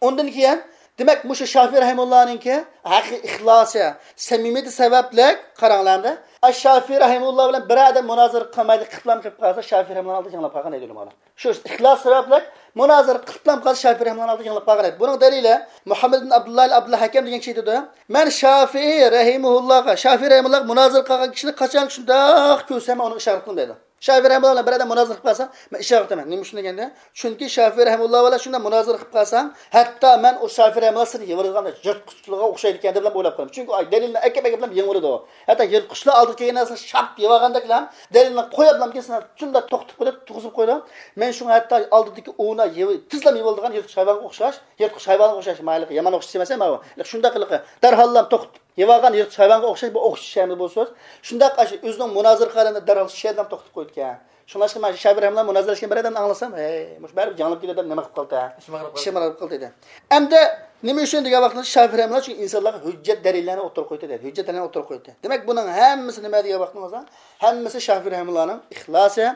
ئۇندىن كېيىن، دېمەك، مۇشۇ شافىئى رەھىمۇللانىڭكى ھەقىقىي ئىخلاسى، سەمىمىيىتى سەۋەبلىك، قاراڭلار ئەمدى، ئاش شافىي رەھىمۇللا بىلەن بىر ئادەم مۇنازىرە قىلمايدۇ، قىلىپلام قىلىپ قالسا، شافىي رەھىمۇللانىڭ ئالدىدا يېڭىلىپ قالغان ئىدى ئۆلىمالار. شۇ ئىخلاس سەۋەبلىك مۇنازىرە قىلىپلام قالسا، شافىي رەھىمۇللانىڭ ئالدىدا يېڭىلىپ قالغان ئىدى. بۇنىڭ دەلىلى مۇھەممەد ئىبن ئابدۇللا ئابدۇل ھەكەم دېگەن كىشى ئېيتىدۇ، مەن شافىي رەھىمۇللاغا، شافىي رەھىمۇللاغا مۇنازىرە قىلغان كىشىنى قاچان شۇنداق كۆرسەم، مەن ئۇنىڭغا ئىشارە قىلىمەن دەيدۇ. شافىي رەھىمۇللا بىلەن بىر ئادەم مۇنازىرە قىلىپ قالسا، مەن ئىشارە قىلىمەن. نېمە ئۈچۈن دېگەندە، چۈنكى شافىي رەھىمۇللا بىلەن شۇنداق مۇنازىرە قىلىپ قالساڭ، ھەتتا مەن ئۇ شافىي رەھىمۇللا سېنى يېۋىرىدىغان يىرتقۇچلارغا ئوخشايدىكەن دەپلا ئويلاپ قالىمەن. چۈنكى ئۇ دەلىلنى ئەكەپ ئەكەپلا يېڭىۋېلىدۇ. ھەتتا يىرتقۇچلار ئالدىغا كەلگەن نەرسىنى شاپ يەۋالغاندەكلا دەلىلنى قويۇپلا كېسىنى شۇنداق توختىتىپ قويدى، تۇرغۇزۇپ قويدى. مەن شۇڭا ھەتتا ئالدىدىكى ئوۋنى يېۋى-، تېزلا يېۋىلىدىغان يىرتقۇچ ھايۋانغا ئوخشاش، يىرتقۇچ ھايۋانغا ئوخشاش، مايلىقى يامان ئوخشاش ئەمەس، ماۋۇ. شۇنداق قىلىقى دەرھاللا توختىتىپ يېۋالغان يىرتقۇچ ھايۋانغا ئوخشاش بۇ ئوخشىشىمىز بۇ سۆز. شۇنداق ئاشۇ ئۆزىنىڭ مۇنازىرىگە قارىغاندا دەرھال شۇ يەردىن توختاپ قويىدىكەن. شۇڭلاشقا مانا شۇ شافىي رەھىمۇللا مۇنازىرىلەشكەن بىر ئادەمنى ئاڭلىسام، ھەي، مۇشۇ بەرىبىر جاڭلاپ كېتىدۇ دەپ نېمە قىلىپ قالدى؟ ئىشىم ئاغرىپ قالدى. ئىشىم ئاغرىپ قالدى دېدى. ئەمدى نېمە ئۈچۈن دېگەن ۋاقتىدا شافىي رەھىمۇللا چۈنكى ئىنسانلارغا ھۆججەت دەلىللەرنى ئوتتۇرىغا قويدى دېدى. ھۆججەت دەلىللەرنى ئوتتۇرىغا قويدى. دېمەك، بۇنىڭ ھەممىسى نېمە دېگەن ۋاقتىمىزدا؟ ھەممىسى شافىي رەھىمۇللانىڭ ئىخلاسى،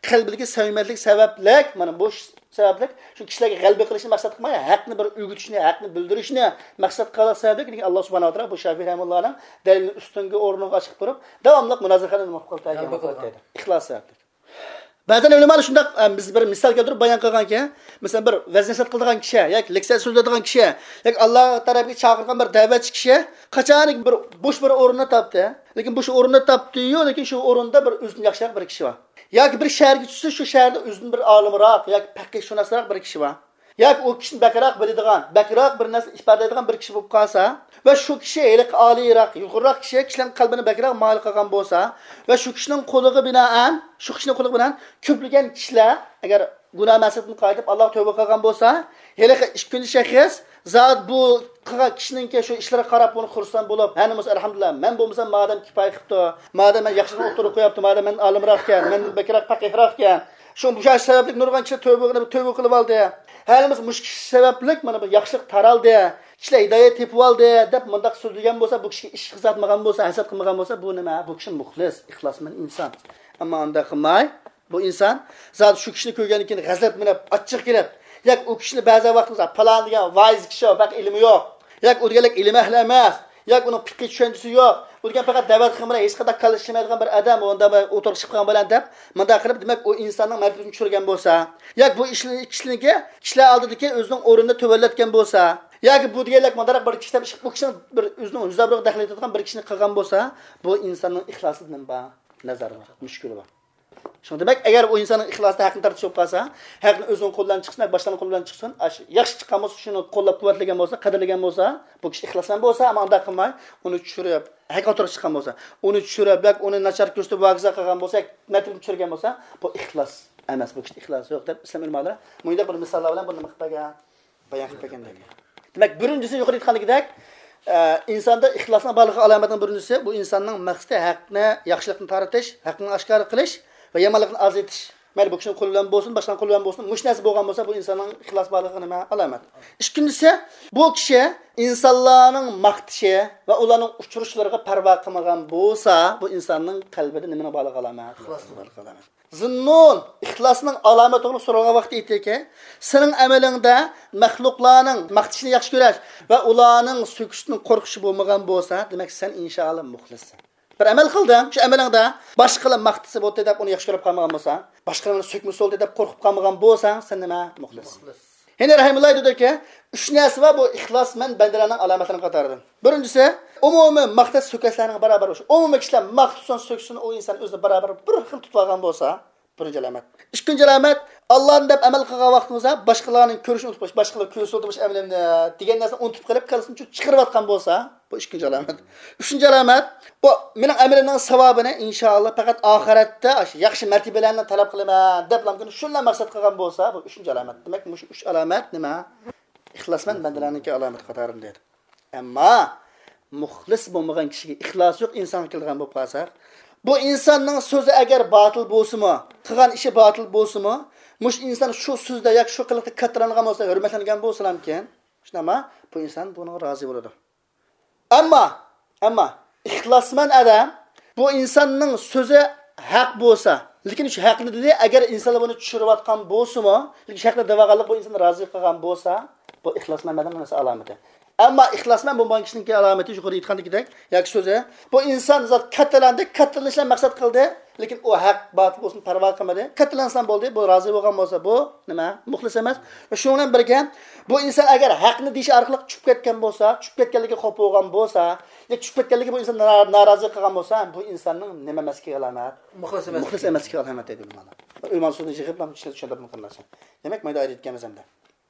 قەلبىدىكى سەمىمىيەتلىك سەۋەبلىك، مانا بۇ سەۋەبلىك شۇ كىشىلەرگە غەلىبە قىلىشنى مەقسەت قىلماي، ھەقنى بىر ئۆگىتىشنى، ھەقنى بىلدۈرۈشنى مەقسەت قىلغان سەۋەبلىك، لېكىن ئاللا سۇبھانەھۇ ۋە تائالا بۇ شافىي رەھىمۇللانىڭ دەلىلىنى ئۈستۈنكى ئورۇنغا چىقىپ تۇرۇپ، داۋاملىق مۇنازىرە قىلىپ نېمە قىلىپ قالدى؟ غەلىبە قىلدى. ئىخلاس سەۋەبلىك. بەزەن ئۆلىمالار شۇنداق، ئە، بىز بىر مىسال كەلتۈرۈپ بايان قىلغانكەن، مەسىلەن، بىر ۋەز نەسىھەت قىلىدىغان كىشى ياكى لېكسىيە سۆزلەيدىغان كىشى ياكى ئاللا تەرەپكە چاقىرغان بىر دەۋەتچى كىشى قاچانكى بىر بوش بىر ئورۇننى تاپتى. لېكىن بوش ئورۇننى تاپتى-يۇ، لېكىن شۇ ئورۇندا بىر ئۆزىدىن ياخشىراق بىر كىشى بار. ياكى بىر شەھەرگە چۈشسە، شۇ شەھەردە ئۆزىدىن بىر ئالىمراق ياكى پەقىھشۇناسراق بىر كىشى بار. ياكى ئۇ كىشىدىن بەكرەك بىلىدىغان، بەكرەك بىر نەرسە ئىپادىلەيدىغان بىر كىشى بولۇپ قالسا ۋە شۇ كىشى ھېلىقى ئالىيراق، يۇقىرىراق كىشى كىشىلەرنىڭ قەلبىنى بەكرەك مايىل قىلغان بولسا ۋە شۇ كىشىنىڭ قولىغا بىنائەن، شۇ كىشىنىڭ قولىغا بىنائەن كۆپلىگەن كىشىلەر ئەگەر گۇناھ مەسىلىدىن قايتىپ ئاللاغا تۆبە قىلغان بولسا، ھېلىقى ئىككىنچى شەخس زادى بۇ قىلغان كىشىنىڭكى شۇ ئىشلىرىغا قاراپ بۇنى خۇرسەن بولۇپ، ھەنە بولسا ئەلھەمدۇلىللا، مەن بولمىسام مادەم كۇپايە قىپتۇ، مادەم مەن ياخشىلىقنى ئوتتۇرىغا قويۇپتۇ، مادەم مەندىن ئالىمراق ئىكەن، مەندىن بەكرەك پەقىھراق ئىكەن. شۇ، مۇشۇ سەۋەبلىك نۇرغۇن كىشىلەر تۆبە قىلىپ، تۆبە قىلىپ ئالدى. ھەلىمىز مۇشۇ كىشى سەۋەبلىك مانا بۇ ياخشىلىق تارالدى. كىشىلەر ھىدايەت تېپىۋالدى دەپ مۇنداق سۆزلىگەن بولسا، بۇ كىشىگە ئىش قىزارتمىغان بولسا، ھەسەت قىلمىغان بولسا، بۇ نېمە؟ بۇ كىشى مۇخلىس، ئىخلاسمەن ئىنسان. ئەمما ئۇنداق قىلماي، بۇ ئىنسان زادى شۇ كىشىنى كۆرگەندىن كېيىن غەزەپلىنىپ، ئاچچىق كېلىپ، ياكى ئۇ كىشىنى بەزى ۋاقىتتا پالان دېگەن ۋائىز كىشى، بەك ئىلمى يوق، ياكى ئۇ دېگەنلىك ئىلمى ئەھلى ئەمەس، ياكى ئۇنىڭ پىقھىي چۈشەنچىسى يوق، ئۇ دېگەن پەقەت دەۋەت قىلغان بىلەن ھېچقانداق كاللىشىمايدىغان بىر ئادەم، ئۇنداق بىر ئوتتۇرىغا چىقىپ قالغان بىلەن دەپ، مۇنداق قىلىپ، دېمەك، ئۇ ئىنساننىڭ مەرتىۋىسىنى چۈشۈرگەن بولسا، ياكى بۇ ئىشنى، كىشىنىڭكى كىشىلەر ئالدىدىكى ئۆزىنىڭ ئورنىنى تۆۋەنلەتكەن بولسا، ياكى بۇ دېگەنلەك مۇنداق بىر كىشى دەپ، بۇ كىشىنىڭ بىر ئۆزىنىڭ يۈز ئابرۇيىغا دەخلى يېتىدىغان بىر كىشىنى قىلغان بولسا، بۇ ئىنساننىڭ ئىخلاسىدا نېمە بار؟ نەزەر بار، مۈشكۈلى بار. شۇڭا دېمەك، ئەگەر ئۇ ئىنساننىڭ ئىخلاسىدا ھەقنى تارتىش بولۇپ قالسا، ھەقنى ئۆزىنىڭ قولى بىلەن چىقسۇن، باشقىلارنىڭ قولى بىلەن چىقسۇن، ئاش-، ياخشى چىققان بولسا، شۇنى قوللاپ قۇۋۋەتلىگەن بولسا، قەدىرلىگەن بولسا، بۇ كىشى ئىخلاسمەن بولسا، ئەمما ئۇنداق قىلماي، ئۇنى چۈشۈرۈپ، ھەق ئوتتۇرىغا چىققان بولسا، ئۇنى چۈشۈرۈپ، ياكى ئۇنى ناچار كۆرسىتىپ، ۋاگىزا قىلغان بولسا، ياكى مەرتىۋىسىنى چۈشۈرگەن بولسا، بۇ ئىخلاس ئەمەس، بۇ كىشىدە ئىخلاس يوق دەپ ئىسلام ئۆلىمالىرى مۇنداق بىر مىساللار بىلەن بۇنى نېمە قىلىپ بەرگەن؟ بايان قىلىپ بەرگەن دەيدۇ. دېمەك، بىرىنچىسى يۇقىرىدا ئېيتقاندىكىدەك، ئە، ئىنساندا ئىخلاسنىڭ بارلىقى ئالامەتنىڭ بىرىنچىسى، بۇ ئىنساننىڭ مەقسىتى ھەقنى، ياخشىلىقنى تارىتىش، ھەقنى ئاشكارا قىلىش ۋە يامانلىقنى ئازايتىش. مەيلى بۇ كىشىنىڭ قولى بىلەن بولسۇن، باشقىنىڭ قولى بىلەن بولسۇن، مۇشۇ نەرسە بولغان بولسا، بۇ ئىنساننىڭ ئىخلاس بارلىقىغا نېمە؟ ئالامەت. ئىككىنچىسى، بۇ كىشى ئىنسانلارنىڭ ماختىشى ۋە ئۇلارنىڭ ئۇچرىشىشلىرىغا پەرۋا قىلمىغان بولسا، بۇ ئىنساننىڭ قەلبىدە نېمىنىڭ بارلىقى ئالامەت؟ ئىخلاسنىڭ بارلىقى ئالامەت. زىننۇن ئىخلاسنىڭ ئالامىتى توغرىلىق سورالغان ۋاقتىدا ئېيتتىكى، سېنىڭ ئەمىلىڭدە مەخلۇقلارنىڭ ماختىشىنى ياخشى كۆرۈش ۋە ئۇلارنىڭ سۆكۈشىدىن قورقۇشى بولمىغان بولسا، دېمەك، سەن ئىنشائاللا مۇخلىسسەن. بىر ئەمەل قىلدىڭ، شۇ ئەمىلىڭدە باشقىلار ماختىسا بولدى دەپ ئۇنى ياخشى كۆرۈپ قالمىغان بولسا، باشقىلار مېنى سۆكمىسە بولدى دەپ قورقۇپ قالمىغان بولساڭ، سەن نېمە؟ مۇخلىس. مۇخلىس. ھېنرى رەھىمۇللا دېدىكى، ئۈچ نەرسە بار، بۇ ئىخلاسمەن بەندىلەرنىڭ ئالامەتلىرىنىڭ قاتارىدىن. بىرىنچىسى، ئومۇمىي ماختاش سۆكۈشلەرنىڭ بارابىر بولۇشى. ئومۇمىي كىشىلەر ماختىسۇن، سۆكسۇن، ئۇ ئىنسان ئۆزىنى بارابىر بىر خىل تۇتۇۋالغان بولسا، بىرىنچى ئالامەت. ئىككىنچى ئالامەت، ئاللانى دەپ ئەمەل قىلغان ۋاقتىمىزدا باشقىلارنى كۆرۈشنى ئۇنتۇپ قېلىش، باشقىلار كۆرسە بولدى مۇشۇ ئەمىلىمنى دېگەن نەرسىنى ئۇنتۇپ قېلىپ، كاللىسىدىن چىقىرىۋاتقان بولسا، بۇ ئىككىنچى ئالامەت. ئۈچىنچى ئالامەت، بۇ مېنىڭ ئەمىلىمنىڭ ساۋابىنى ئىنشائاللا پەقەت ئاخىرەتتە ئاشۇ ياخشى مەرتىۋىلەرنى تەلەپ قىلىمەن دەپلا شۇنىلا مەقسەت قىلغان بولسا، بۇ ئۈچىنچى ئالامەت. دېمەك، مۇشۇ ئۈچ ئالامەت نېمە؟ ئىخلاسمەن بەندىلەرنىڭكى ئالامىتى قاتارىدا دېدى. ئەمما مۇخلىس بولمىغان كىشىگە، ئىخلاسى يوق ئىنسانغا كېلىدىغان بولۇپ قالساق، بۇ ئىنساننىڭ سۆزى ئەگەر باتىل بولسىمۇ، قىلغان ئىشى باتىل بولسىمۇ، مۇشۇ ئىنسان شۇ سۆزدە ياكى شۇ قىلىقتا كاتتىراڭلىغان بولسا، ھۆرمەتلەنگەن بولسىلامكىن، شۇنداقما؟ بۇ ئىنسان بۇنىڭغا رازى بولىدۇ. ئەمما، ئەمما ئىخلاسمەن ئادەم، بۇ ئىنساننىڭ سۆزى ھەق بولسا، لېكىن شۇ ھەقنى دېدى، ئەگەر ئىنسانلار بۇنى چۈشۈرۈۋاتقان بولسىمۇ، لېكىن شۇ ھەقنى دەۋالغانلىق بۇ ئىنساننى رازى قىلغان بولسا، بۇ ئىخلاسمەن ئادەمنىڭ نېمىسى؟ ئالامىتى. ئەمما ئىخلاسمەن بولمىغان كىشىنىڭكى ئالامىتى يۇقىرىدا ئېيتقاندىكىدەك، ياكى سۆزى، بۇ ئىنسان زات كاتتىلاندى، كاتتىلىنىشنى مەقسەت قىلدى، لېكىن ئۇ ھەق باتىل بولسۇن پەرۋا قىلمىدى. كاتتىلانسام بولدى، بۇ رازى بولغان بولسا، بۇ نېمە؟ مۇخلىس ئەمەس. شۇنىڭ بىلەن بىرگە، بۇ ئىنسان ئەگەر ھەقنى دېيىش ئارقىلىق چۈشۈپ كەتكەن بولسا، چۈشۈپ كەتكەنلىكى خوپ بولغان بولسا، يا چۈشۈپ كەتكەنلىكى بۇ ئىنسان نارا-، نارازى قىلغان بولسا، بۇ ئىنساننىڭ نېمە ئەمەسلىكىگە ئالامەت؟ مۇخلىس ئەمەسلىكى. مۇخلىس ئەمەسلىكىگە ئالامەت دەيدۇ ئۆلىمالار. ئۆلىمانىڭ سۆزىنى يىغىپ چۈشەندۈرۈپ قىلماسا. دېمەك، مانا ئايرىپ كەلمەس ئەمدى.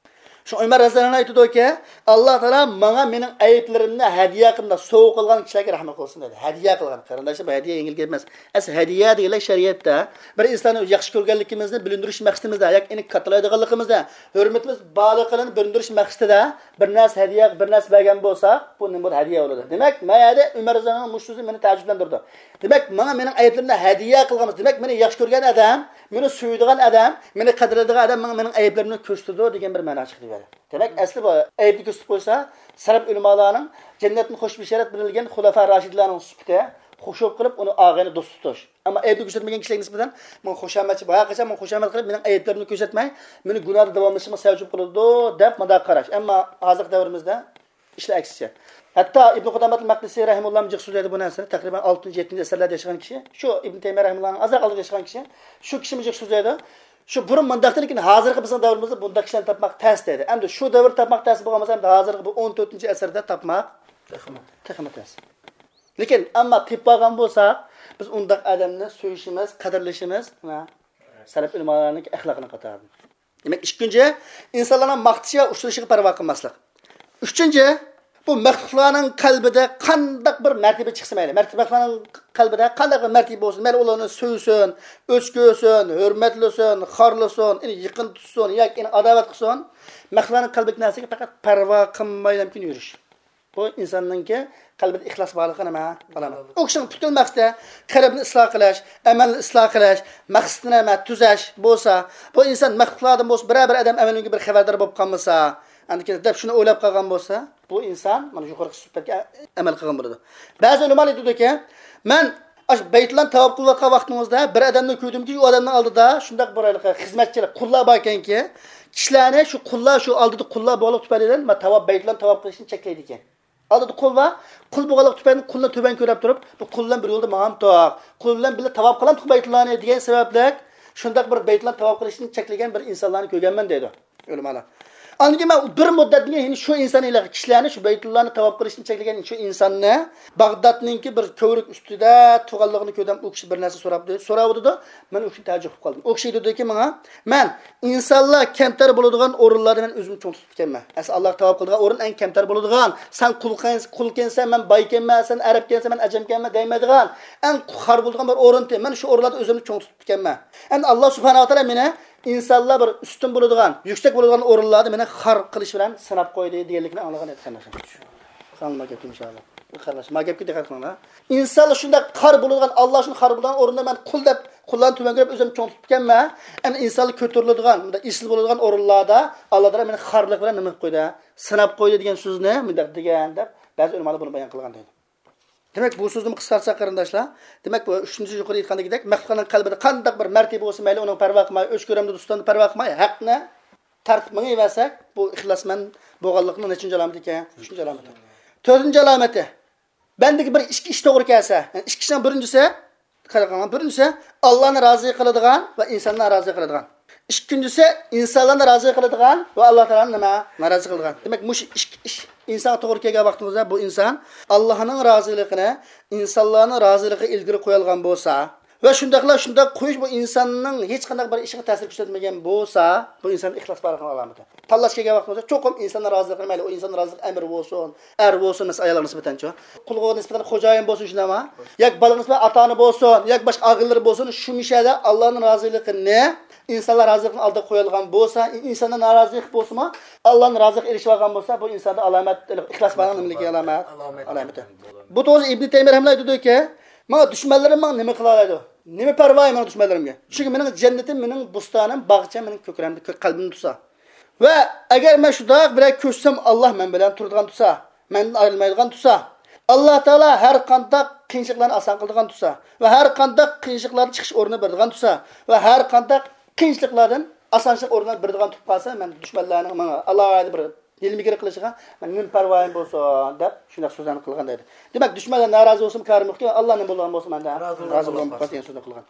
شۇ ئۆمەر رەزىياللاھۇ ئەنھۇ ئېيتىدۇكى، ئاللا تائالا ماڭا مېنىڭ ئەيىبلىرىمنى ھەدىيە قىلغان، سوۋغا قىلغان كىشىلەرگە رەھمەت قىلسۇن دېدى. ھەدىيە قىلغان. قېرىنداشلار، بۇ ھەدىيە يېڭىل گەپ ئەمەس. ئەسلى ھەدىيە دېگەنلەر شەرىئەتتە بىر ئىنساننى ياخشى كۆرگەنلىكىمىزنى بىلىندۈرۈش مەقسىتىمىزدە ياكى ئېنى كاتتىلايدىغانلىقىمىزدا، ھۆرمىتىمىز بارلىقىنى بىلىندۈرۈش مەقسىتىدە بىر نەرسە ھەدىيە، بىر نەرسە بەرگەن بولساق، بۇ نېمە بولىدۇ؟ ھەدىيە بولىدۇ. دېمەك، مانا يەردە ئۆمەر رەزىياللاھۇ ئەنھۇنىڭ مۇشۇ سۆزى مېنى تەئەججۈپلەندۈرىدۇ. دېمەك، ماڭا مېنىڭ ئەيىبلىرىمنى ھەدىيە قىلغان، دېمەك، مېنى ياخشى كۆرگەن ئادەم، مېنى سۆيىدىغان ئادەم، مېنى قەدىرلەيدىغان ئادەم ماڭا مېنىڭ ئەيىبلىرىمنى كۆرسىتىدۇ دېگەن بىر مەنا چىقتى بۇ يەردە. دېمەك، ئەسلى بۇ ئەيىبنى كۆرسىتىپ قويسا، سەلەپ ئۆلىمالارنىڭ جەننەتتىن خوش بېشارەت بېرىلگەن خۇلەفا راشىدلارنىڭ سۈپىتى، خۇش بولۇپ قېلىپ، ئۇنى ئاغىنە دوست تۇتۇش. ئەمما ئەيىبنى كۆرسەتمىگەن كىشىلەرگە نىسبەتەن ماڭا خۇشامەتچى، بايا قاچان ماڭا خۇشامەت قىلىپ، مېنىڭ ئەيىبلىرىمنى كۆرسەتمەي، مېنى گۇناھدا داۋاملىشىشىمغا سەۋەب بولىدۇ، دەپ مۇنداق قاراش. ئەمما ھازىرقى دەۋرىمىزدە ئىشلار ئەكسىچە. ھەتتا ئىبن قۇدامەتۇل مەقدىسى رەھىمۇللاھمۇ جىق سۆزلەيدۇ بۇ نەرسىنى. تەقرىبەن ئالتىنچى، يەتتىنچى ئەسىرلەردە ياشىغان كىشى، شۇ ئىبن تەيمىيە رەھىمۇللاھنىڭ ئازراق ئالدىدا ياشىغان كىشى، شۇ كىشىمۇ جىق سۆزلەيدۇ. شۇ بۇرۇن مۇنداق ئىدى، لېكىن ھازىرقى بىزنىڭ دەۋرىمىزدە بۇنداق كىشىلەرنى تاپماق تەس دەيدۇ. ئەمدى شۇ دەۋر تاپماق تەس بولغان بولسا، ئەمدى ھازىرقى بۇ ئون تۆتىنچى ئەسىردە تاپماق تېخىمۇ، تېخىمۇ تەس. لېكىن ئەمما تېپىپ بولغان بولساق، بىز ئۇنداق ئادەمنى سۆيۈشىمىز، قەدىرلىشىمىز، ھە، سەلەپ ئۆلىمالارنىڭ ئەخلاقىنىڭ قاتارىدا. دېمەك، ئىككىنچى، ئىنسانلارنىڭ ماختىشىغا، ئۇچرىشىغا پەرۋا قىلماسلىق. ئۈچىنچى، بۇ مەخلۇقلارنىڭ قەلبىدە قانداق بىر مەرتىۋە چىقسا مەيلى، مەرتىۋە، مەخلۇقلارنىڭ قەلبىدە قانداق بىر مەرتىۋە بولسۇن، مەيلى ئۇلارنى سۆيسۇن، ئۆچ كۆرسۇن، ھۆرمەتلىسۇن، خارلىسۇن، ئۇنى يېقىن تۇتسۇن ياكى ئۇنى ئاداۋەت قىلسۇن، مەخلۇقلارنىڭ قەلبىدىكى نەرسىگە پەقەت پەرۋا قىلمايلا يۈرۈش. بۇ ئىنساننىڭكى قەلبىدە ئىخلاس بارلىقى نېمە؟ ئالامەت. ئۇ كىشىنىڭ پۈتۈن مەقسىتى قەلبىنى ئىسلاھ قىلىش، ئەمەلنى ئىسلاھ قىلىش، مەقسىتىنى نېمە؟ تۈزەش بولسا، بۇ ئىنسان مەخلۇقلاردىن بولسا، بىرەر بىر ئادەم ئەمەلىمگە بىر خەۋەردار بولۇپ قالمىسا، ئەندىكىن دەپ شۇنى ئويلاپ قالغان بولسا، بۇ ئىنسان مانا يۇقىرىقى سۈپەتكە ئەمەل قىلغان بولىدۇ. بەزى ئۆلىمالار ئېيتىدۇكى، مەن ئاشۇ بەيتۇللانى تاۋاپ قىلىۋاتقان ۋاقتىڭىزدا بىر ئادەمنى كۆردۈمكى، ئۇ ئادەمنىڭ ئالدىدا شۇنداق بىر ھېلىقى خىزمەتچىلەر، قۇللار بار ئىكەنكى، كىشىلەرنى شۇ قۇللار، شۇ ئالدىدا قۇللار بولغانلىقى تۈپەيلىدىن مەن تاۋاپ، بەيتۇللانى تاۋاپ قىلىشتىن چەكلەيدىكەن. ئالدىدا قۇل بار، قۇل بولغانلىقى تۈپەيلىدىن قۇلنى تۆۋەن كۆرۈپ تۇرۇپ، بۇ قۇل بىلەن بىر يولدا ماڭامتۇق، قۇل بىلەن بىللە تاۋاپ قىلامتۇق بەيتۇللانى دېگەن سەۋەبلىك شۇنداق بىر بەيتۇللانى تاۋاپ قىلىشتىن چەكلىگەن بىر ئىنسانلارنى كۆرگەنمەن دەيدۇ ئۆلىمالار. ئاندىن كېيىن مەن بىر مۇددەتتىن كېيىن شۇ ئىنسان ھېلىقى كىشىلەرنى، شۇ بەيتۇللانى تاۋاپ قىلىشتىن چەكلىگەن شۇ ئىنساننى باغدادنىڭكى بىر كۆۋرۈك ئۈستىدە تۇرغانلىقىنى كۆردۈم. ئۇ كىشى بىر نەرسە سوراپتۇ، سوراۋاتىدۇ. مەن ئۇ كۈنى تەئەججۈپ قىلىپ قالدىم. ئۇ كىشى ئېيتىدۇكى ماڭا، مەن ئىنسانلار كەمتەر بولىدىغان ئورۇنلاردا مەن ئۆزۈمنى چوڭ تۇتۇپتىكەنمەن. ئەسلى ئاللاغا تاۋاپ قىلىدىغان ئورۇن ئەڭ كەمتەر بولىدىغان، سەن قۇل، قۇلكەنسەن، مەن بايكەنمەن، سەن ئەرەبكەنسەن، مەن ئەجەمكەنمەن دەيمەيدىغان، ئەڭ خار بولىدىغان بىر ئورۇنتى. مەن شۇ ئورۇنلاردا ئۆزۈمنى چوڭ تۇتۇپتىكەنمەن. ئەمدى ئاللا سۇبھانەھۇ ۋە تائالا مېنى ئىنسانلار بىر ئۈستۈن بولىدىغان، يۈكسەك بولىدىغان ئورۇنلاردا مېنى خار قىلىش بىلەن سىناپ قويدى دېگەنلىكىنى ئاڭلىغان ئىدى قېرىنداشلار. ئاڭلىما گەپكە ئىنشائاللا. قېرىنداش، ما گەپكە دىققەت قىلىڭلار. ئىنسانلار شۇنداق خار بولىدىغان، ئاللا شۇنى خار بولىدىغان ئورۇندا مەن قۇل دەپ، قۇللارنى تۆۋەن كۆرۈپ ئۆزۈمنى چوڭ تۇتۇپتىكەنمەن. ئەمدى ئىنسانلار كۆتۈرۈلىدىغان، مۇنداق ئېسىل بولىدىغان ئورۇنلاردا ئاللا تائالا مېنى خارلىق بىلەن نېمە قىلىپ قويدى؟ سىناپ قويدى دېگەن سۆزنى مۇنداق دېگەن دەپ بەزى ئۆلىمالار بۇنى بايان قىلغان دەيدۇ. دېمەك، بۇ سۆزنىمۇ قىسقارتساق قېرىنداشلار، دېمەك، بۇ ئۈچىنچى يۇقىرى ئېيتقاندىكىدەك، مەخلۇقلارنىڭ قەلبىدە قانداق بىر مەرتىۋە بولسا مەيلى، ئۇنىڭ پەرۋا قىلماي، ئۆچ كۆرەمدۇ دوستاندا پەرۋا قىلماي، ھەقنى تارتىپ مېڭىۋەرسەك، بۇ ئىخلاسمەن بولغانلىقنىڭ نەچچىنچى ئالامىتى ئىكەن؟ ئۈچىنچى ئالامىتى. تۆتىنچى ئالامىتى، بەندىگە بىر ئىككى ئىش توغرا كەلسە، يەنى ئىككى ئىشنىڭ بىرىنچىسى، قاراڭلار، بىرىنچىسى، ئاللانى رازى قىلىدىغان ۋە ئىنساننى نارازى قىلىدىغان. ئىككىنچىسى، ئىنسانلارنى رازى قىلىدىغان ۋە ئاللا تائالانى نېمە؟ نارازى قىلىدىغان. دېمەك، مۇشۇ ئىككى ئىش ئىنسانغا توغرا كەلگەن ۋاقتىمىزدا، بۇ ئىنسان ئاللانىڭ رازىلىقىنى، ئىنسانلارنىڭ رازىلىقى ئىلگىرى قويالىغان بولسا، ۋە شۇنداقلا شۇنداق قويۇش بۇ ئىنساننىڭ ھېچقانداق بىر ئىشىغا تەسىر كۆرسەتمىگەن بولسا، بۇ ئىنسان ئىخلاس بارلىقىنىڭ ئالامىتى. تاللاش كەلگەن ۋاقتىمىزدا چوقۇم ئىنساننىڭ رازىلىقىنى، مەيلى ئۇ ئىنساننىڭ رازىلىقى ئەمىر بولسۇن، ئەر بولسۇن، مەسىلەن، ئايالغا نىسبەتەنچۇ، قۇلغا نىسبەتەن خوجايىن بولسۇن، شۇنداقمۇ؟ ياكى بالىغا نىسبەتەن ئاتا-ئانا بولسۇن، ياكى باشقا ئاغىنىلىرى بولسۇن، شۇ مۇشەدە ئاللانىڭ رازىلىقىنى، ئىنسانلار رازىلىقىنى ئالدىغا قويالىغان بولسا، ئىنساننىڭ نارازىلىقى بولسىمۇ، ئاللانىڭ رازىلىقىغا ئېرىشىۋالغان بولسا، بۇ ئىنساندا ئالامەت، ئىخلاس بارلىقنىڭ نېمىلىكى ئالامەت؟ ئالامەت. ئالامىتى. بۇ توغرىسىدا ئىبنى تەيمىيە رەھىمەھۇللا ئېيتىدۇكى، ماڭا دۈشمەنلىرىم ماڭا نېمە قىلالايدۇ؟ نېمە پەرۋايى ماڭا دۈشمەنلىرىمگە؟ چۈنكى مېنىڭ جەننىتىم، مېنىڭ بوستانىم، باغچەم مېنىڭ كۆكرەمدە، كۆك قەلبىمدە تۇرسا. ۋە ئەگەر مەن شۇنداق بىرەر كۆرسەم، ئاللا مەن بىلەن تۇرىدىغان تۇرسا، مەندىن ئايرىلمايدىغان تۇرسا، ئاللا تائالا ھەر قانداق قىيىنچىلىقلارنى ئاسان قىلىدىغان تۇرسا ۋە ھەر قانداق قىيىنچىلىقلاردىن چىقىش ئورنىنى بېرىدىغان تۇرسا ۋە ھەر قانداق قىيىنچىلىقلاردىن ئاسانچىلىق ئورنىنى بېرىدىغان تۇرۇپ قالسا، مەن دۈشمەنلەرنىڭ ماڭا ئالاھىدە بىر يېلىم يېگىر قىلىشىغا مەن نېمە پەرۋايىم بولسۇن دەپ شۇنداق سۆزلەرنى قىلغان دەيدۇ. دېمەك، دۈشمەنلەر نارازى بولسىمۇ كارىم يوقكەن، ئاللا نېمە بولغان بولسا مەندە رازى بولغان بولسا دېگەن سۆزنى قىلغان.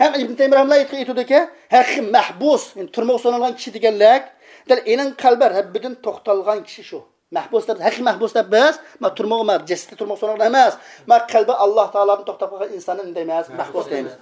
ھەم ئىبن تەيمىيە رەھىمەھۇللا ئېيتقان ئېيتىدۇكى، ھەققى مەھبۇس، يەنى تۈرمىگە سولانغان كىشى دېگەنلىك، دەل ئېنىڭ قەلبى رەببىدىن توختالغان كىشى شۇ. مەھبۇس دەپ، ھەققى مەھبۇس دەپ بىز، ما تۈرمىگە، ما جەسىتى تۈرمىگە سولانغان ئەمەس، ما قەلبى ئاللا تائالادىن توختاپ قالغان ئىنساننى نېمە دەيمىز؟ مەھبۇس دەيمىز.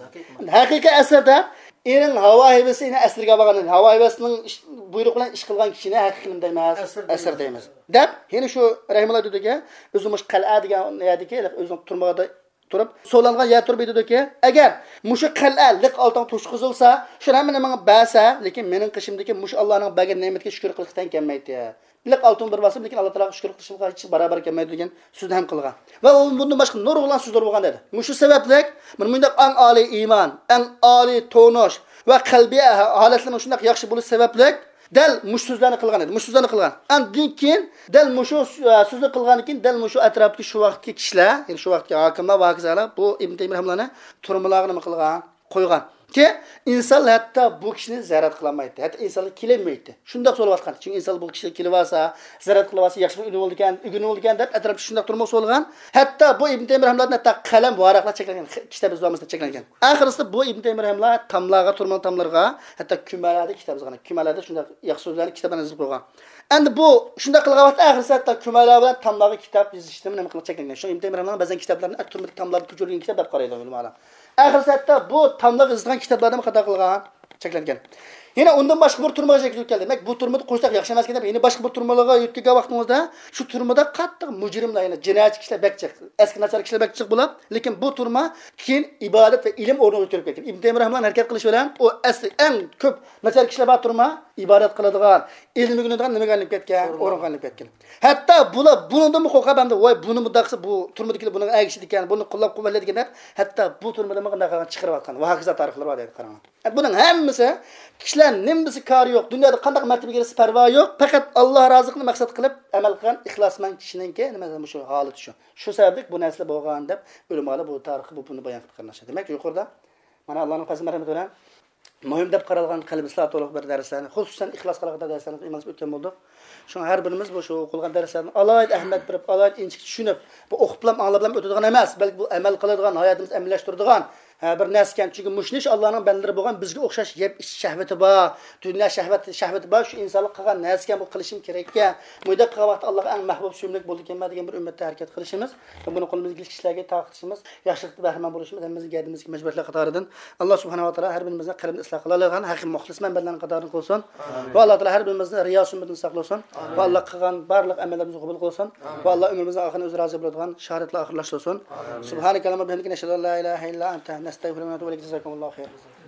ھەقىقىي ئەسىر دەپ، ئېنىڭ ھاۋا ھەۋىسى ئېنى ئەسىرگە ئالغان، ھاۋا ھەۋىسىنىڭ ئىش، بۇيرۇقى بىلەن ئىش قىلغان كىشىنى ھەقىقىي نېمە دەيمىز؟ ئەسىر دەيمىز. دەپ، يەنە شۇ رەھىمۇللا دېدىكى، ئۆزى مۇشۇ قەلئە دېگەن يەردىكى، ئۆزىنىڭ تۈرمىگە تۇرۇپ، سولانغان يەر تۇرۇپ ئېيتىدۇكى، ئەگەر مۇشۇ قەلئە لىق ئالتۇن توشقۇزۇلسا، شۇ ھەممىنى ماڭا بەرسە، لېكىن مېنىڭ قېشىمدىكى مۇشۇ ئاللانىڭ بەرگەن نېمىتىگە شۈكۈر قىلىشقا تەڭ كەلمەيتتى. لىق ئالتۇن بىر بارسىمۇ، لېكىن ئاللا تائالاغا شۈكۈر قىلىشىمغا ھېچ باراۋەر كەلمەيدۇ دېگەن سۆزنى ھەم قىلغان. ۋە ئۇ بۇندىن باشقا نۇرغۇنلىغان سۆزلەر بولغان دەيدۇ. مۇشۇ سەۋەبلىك، مانا مۇنداق ئەڭ ئالىي ئىمان، ئەڭ ئالىي تونۇش ۋە قەلبىي ھالەتلىرىنىڭ شۇنداق ياخشى بولۇش سەۋەبلىك، دەل مۇشۇ سۆزلەرنى قىلغان ئىدى، مۇشۇ سۆزلەرنى قىلغان. ئاندىن كېيىن، دەل مۇشۇ سۆ-، سۆزنى قىلغاندىن كېيىن، دەل مۇشۇ ئەتراپتىكى شۇ ۋاقىتتىكى كىشىلەر، يەنى شۇ ۋاقىتتىكى ھاكىملار ۋە ھاكازالار بۇ ئىبن تەيمىيە رەھىمۇللانى تۈرمىلەرگە نېمە قىلغان؟ قويغان. كېيىن ئىنسان ھەتتا بۇ كىشىنى زىيارەت قىلالمايتتى. ھەتتا ئىنسانلار كېلەلمەيتتى. شۇنداق سولىۋاتقان. چۈنكى ئىنسان بۇ كىشىلەر كېلىۋالسا، زىيارەت قىلىۋالسا، ياخشى بىر ئۈنۈم بولىدىكەن، ئۈنۈم بولىدىكەن دەپ ئەتراپتا شۇنداق تۈرمىگە سولغان. ھەتتا بۇ ئىبن تەيمىيە رەھىمۇللادىن ھەتتا قەلەم، ۋاراقلار چەكلەنگەن، كىتاب يېزىۋالماسلىق چەكلەنگەن. ئاخىرسىدا بۇ ئىبن تەيمىيە رەھىمۇللا تاملارغا، تۈرمىنىڭ تاملىرىغا، ھەتتا كۈمەلەردە كىتاب يازغان. كۈمەلەردە شۇنداق ياخشى سۆزلەرنى، كىتابلارنى يېزىپ قويغان. ئەمدى بۇ شۇنداق قىلغان ۋاقىتتا ئاخىرسى ھەتتا كۈمەلەر بىلەن تاملارغا كىتاب يېزىشتىن نېمە قىلىپ چەكلەنگەن. شۇ ئىبن تەيمىيە رەھىمۇللانىڭ بەزەن كىتابلىرىنى تۈرمىدە تاملاردا كۆچۈرۈلگەن كىتاب دەپ قارايدۇ ئۆلىمالار. ئاخىرسى ھەتتا بۇ تاملارغا يېزىلغان كىتابلارنى قانداق قىلغان؟ چەكلەنگەن. يەنە ئۇندىن باشقا بىر تۈرمىگە يېتىپ كەلدى. دېمەك، بۇ تۈرمىدە قوشتاق ياخشى ئەمەسكەن دەپ، يەنە باشقا بىر تۈرمىلەرگە يۆتكەلگەن ۋاقتىڭىزدا، شۇ تۈرمىدە قاتتىق مۇجرىملار، يەنى جىنايەتچى كىشىلەر بەك جىق، ئەسكى ناچار كىشىلەر بەك جىق بولۇپ، لېكىن بۇ تۈرمە كېيىن ئىبادەت ۋە ئىلىم ئورنىغا ئۆتۈپ كەتكەن. ئىبن تەيمىيە رەھىمۇللانىڭ ھەرىكەت قىلىشى بىلەن ئۇ ئەسلى ئەڭ كۆپ ناچار كىشىلەر بار تۈرمە ئىبادەت قىلىدىغان، ئىلىم ئۆگىنىدىغان نېمىگە ئايلىنىپ كەتكەن؟ ئورۇنغا ئايلىنىپ كەتكەن. ھەتتا بۇلار بۇنىڭدىنمۇ قورقۇپ، ئەمدى ۋاي بۇنى مۇنداق قىلسا بۇ تۈرمىدىكىلەر بۇنىڭغا ئەگىشىدىكەن، بۇنى قوللاپ قۇۋۋەتلەيدىكەن دەپ، ھەتتا بۇ تۈرمىدىنمۇ قانداق قىلغان چىقىرىۋاتقان. ۋە ھاكازا تارىخلار بار دەيدۇ، قاراڭلار. بۇنىڭ ھەممىسى كىشىلەر نېمىسى كارى يوق، دۇنيادا قانداق مەرتىبىگە ئېرىشسە پەرۋايى يوق، پەقەت ئاللا رازىلىقىنى مەقسەت قىلىپ ئەمەل قىلغان ئىخلاسمەن كىشىنىڭكى نېمە مۇشۇ ھالىتى شۇ. شۇ سەۋەبلىك بۇ نەرسىلەر بولغان دەپ ئۆلىمالار بۇ تارىختا بۇ، بۇنى بايان قىلىپ قېرىنداشلار. دېمەك، يۇقىرىدا مانا ئاللانىڭ پەزلى مەرھەمىتى بىلەن مۇھىم دەپ قارالغان قەلبى ئىسلاھى تولۇق بىر دەرسلەرنى، خۇسۇسەن ئىخلاسقا ئالاقىدار دەرسلەرنى ئىمانسىز ئۆتكەن بولدۇق. شۇڭا ھەر بىرىمىز بۇ شۇ ئوقۇلغان دەرسلەرنى ئالاھىدە ئەھمىيەت بېرىپ، ئالاھىدە ئىنچىكە چۈشىنىپ، بۇ ئوقۇپلا ئاڭلاپلا ئۆتىدىغان ئەمەس، بەلكى بۇ ئەمەل قىلىدىغان، ھاياتىمىزدا ئەمەلىيلەشتۈرىدىغان، ھە، بىر نەرسىكەن. چۈنكى مۇشۇ ئىش ئاللانىڭ بەندىلىرى بولغان بىزگە ئوخشاش يەپ ئىچىش شەھۋىتى بار، دۇنيا شەھۋەت، شەھۋىتى بار، شۇ ئىنسانلار قىلغان نەرسىكەن، بۇ قىلىشىم كېرەككەن، مۇنداق قىلغان ۋاقىتتا ئاللاغا ئەڭ مەھبۇب، سۆيۈملۈك بولىدىكەنمەن دېگەن بىر ئۈممەتتە ھەرىكەت قىلىشىمىز ۋە بۇنى قولىمىزدىكى كىشىلەرگە تارقىتىشىمىز، ياخشىلىقتىن بەھرىمەن بولۇشىمىز ھەممىمىزنىڭ گەدىنىمىزدىكى مەجبۇرىيەتلەر قاتارىدىن. ئاللا سۇبھانەھۇ ۋە تائالا ھەر بىرىمىزنى قەلبىنى ئىسلاھ قىلالايدىغان ھەقىقىي مۇخلىسمەن بەندىلەرنىڭ قاتارىدىن قىلسۇن. ۋە ئاللا تائالا ھەر بىرىمىزنى رىيا سۈمبىتىدىن ساقلىسۇن. ۋە ئاللا قىلغان بارلىق ئەمەللىرىمىزنى قوبۇل قىلسۇن. ۋە ئاللا ئۆمرىمىزنىڭ ئاخىرىنى ئۆزى رازى بولىدىغان شاھادەت بىلەن ئاخىرلاشتۇرسۇن. سۇبھانەكەللاھۇممە ۋە بىھەمدىكە، نەشھەدۇ ئەن لا ئىلاھە ئىللا ئەنتە، نەستەغفىرۇكە ۋە نەتۇبۇ ئىلەيك. جازاكۇمۇللاھۇ خەيرا.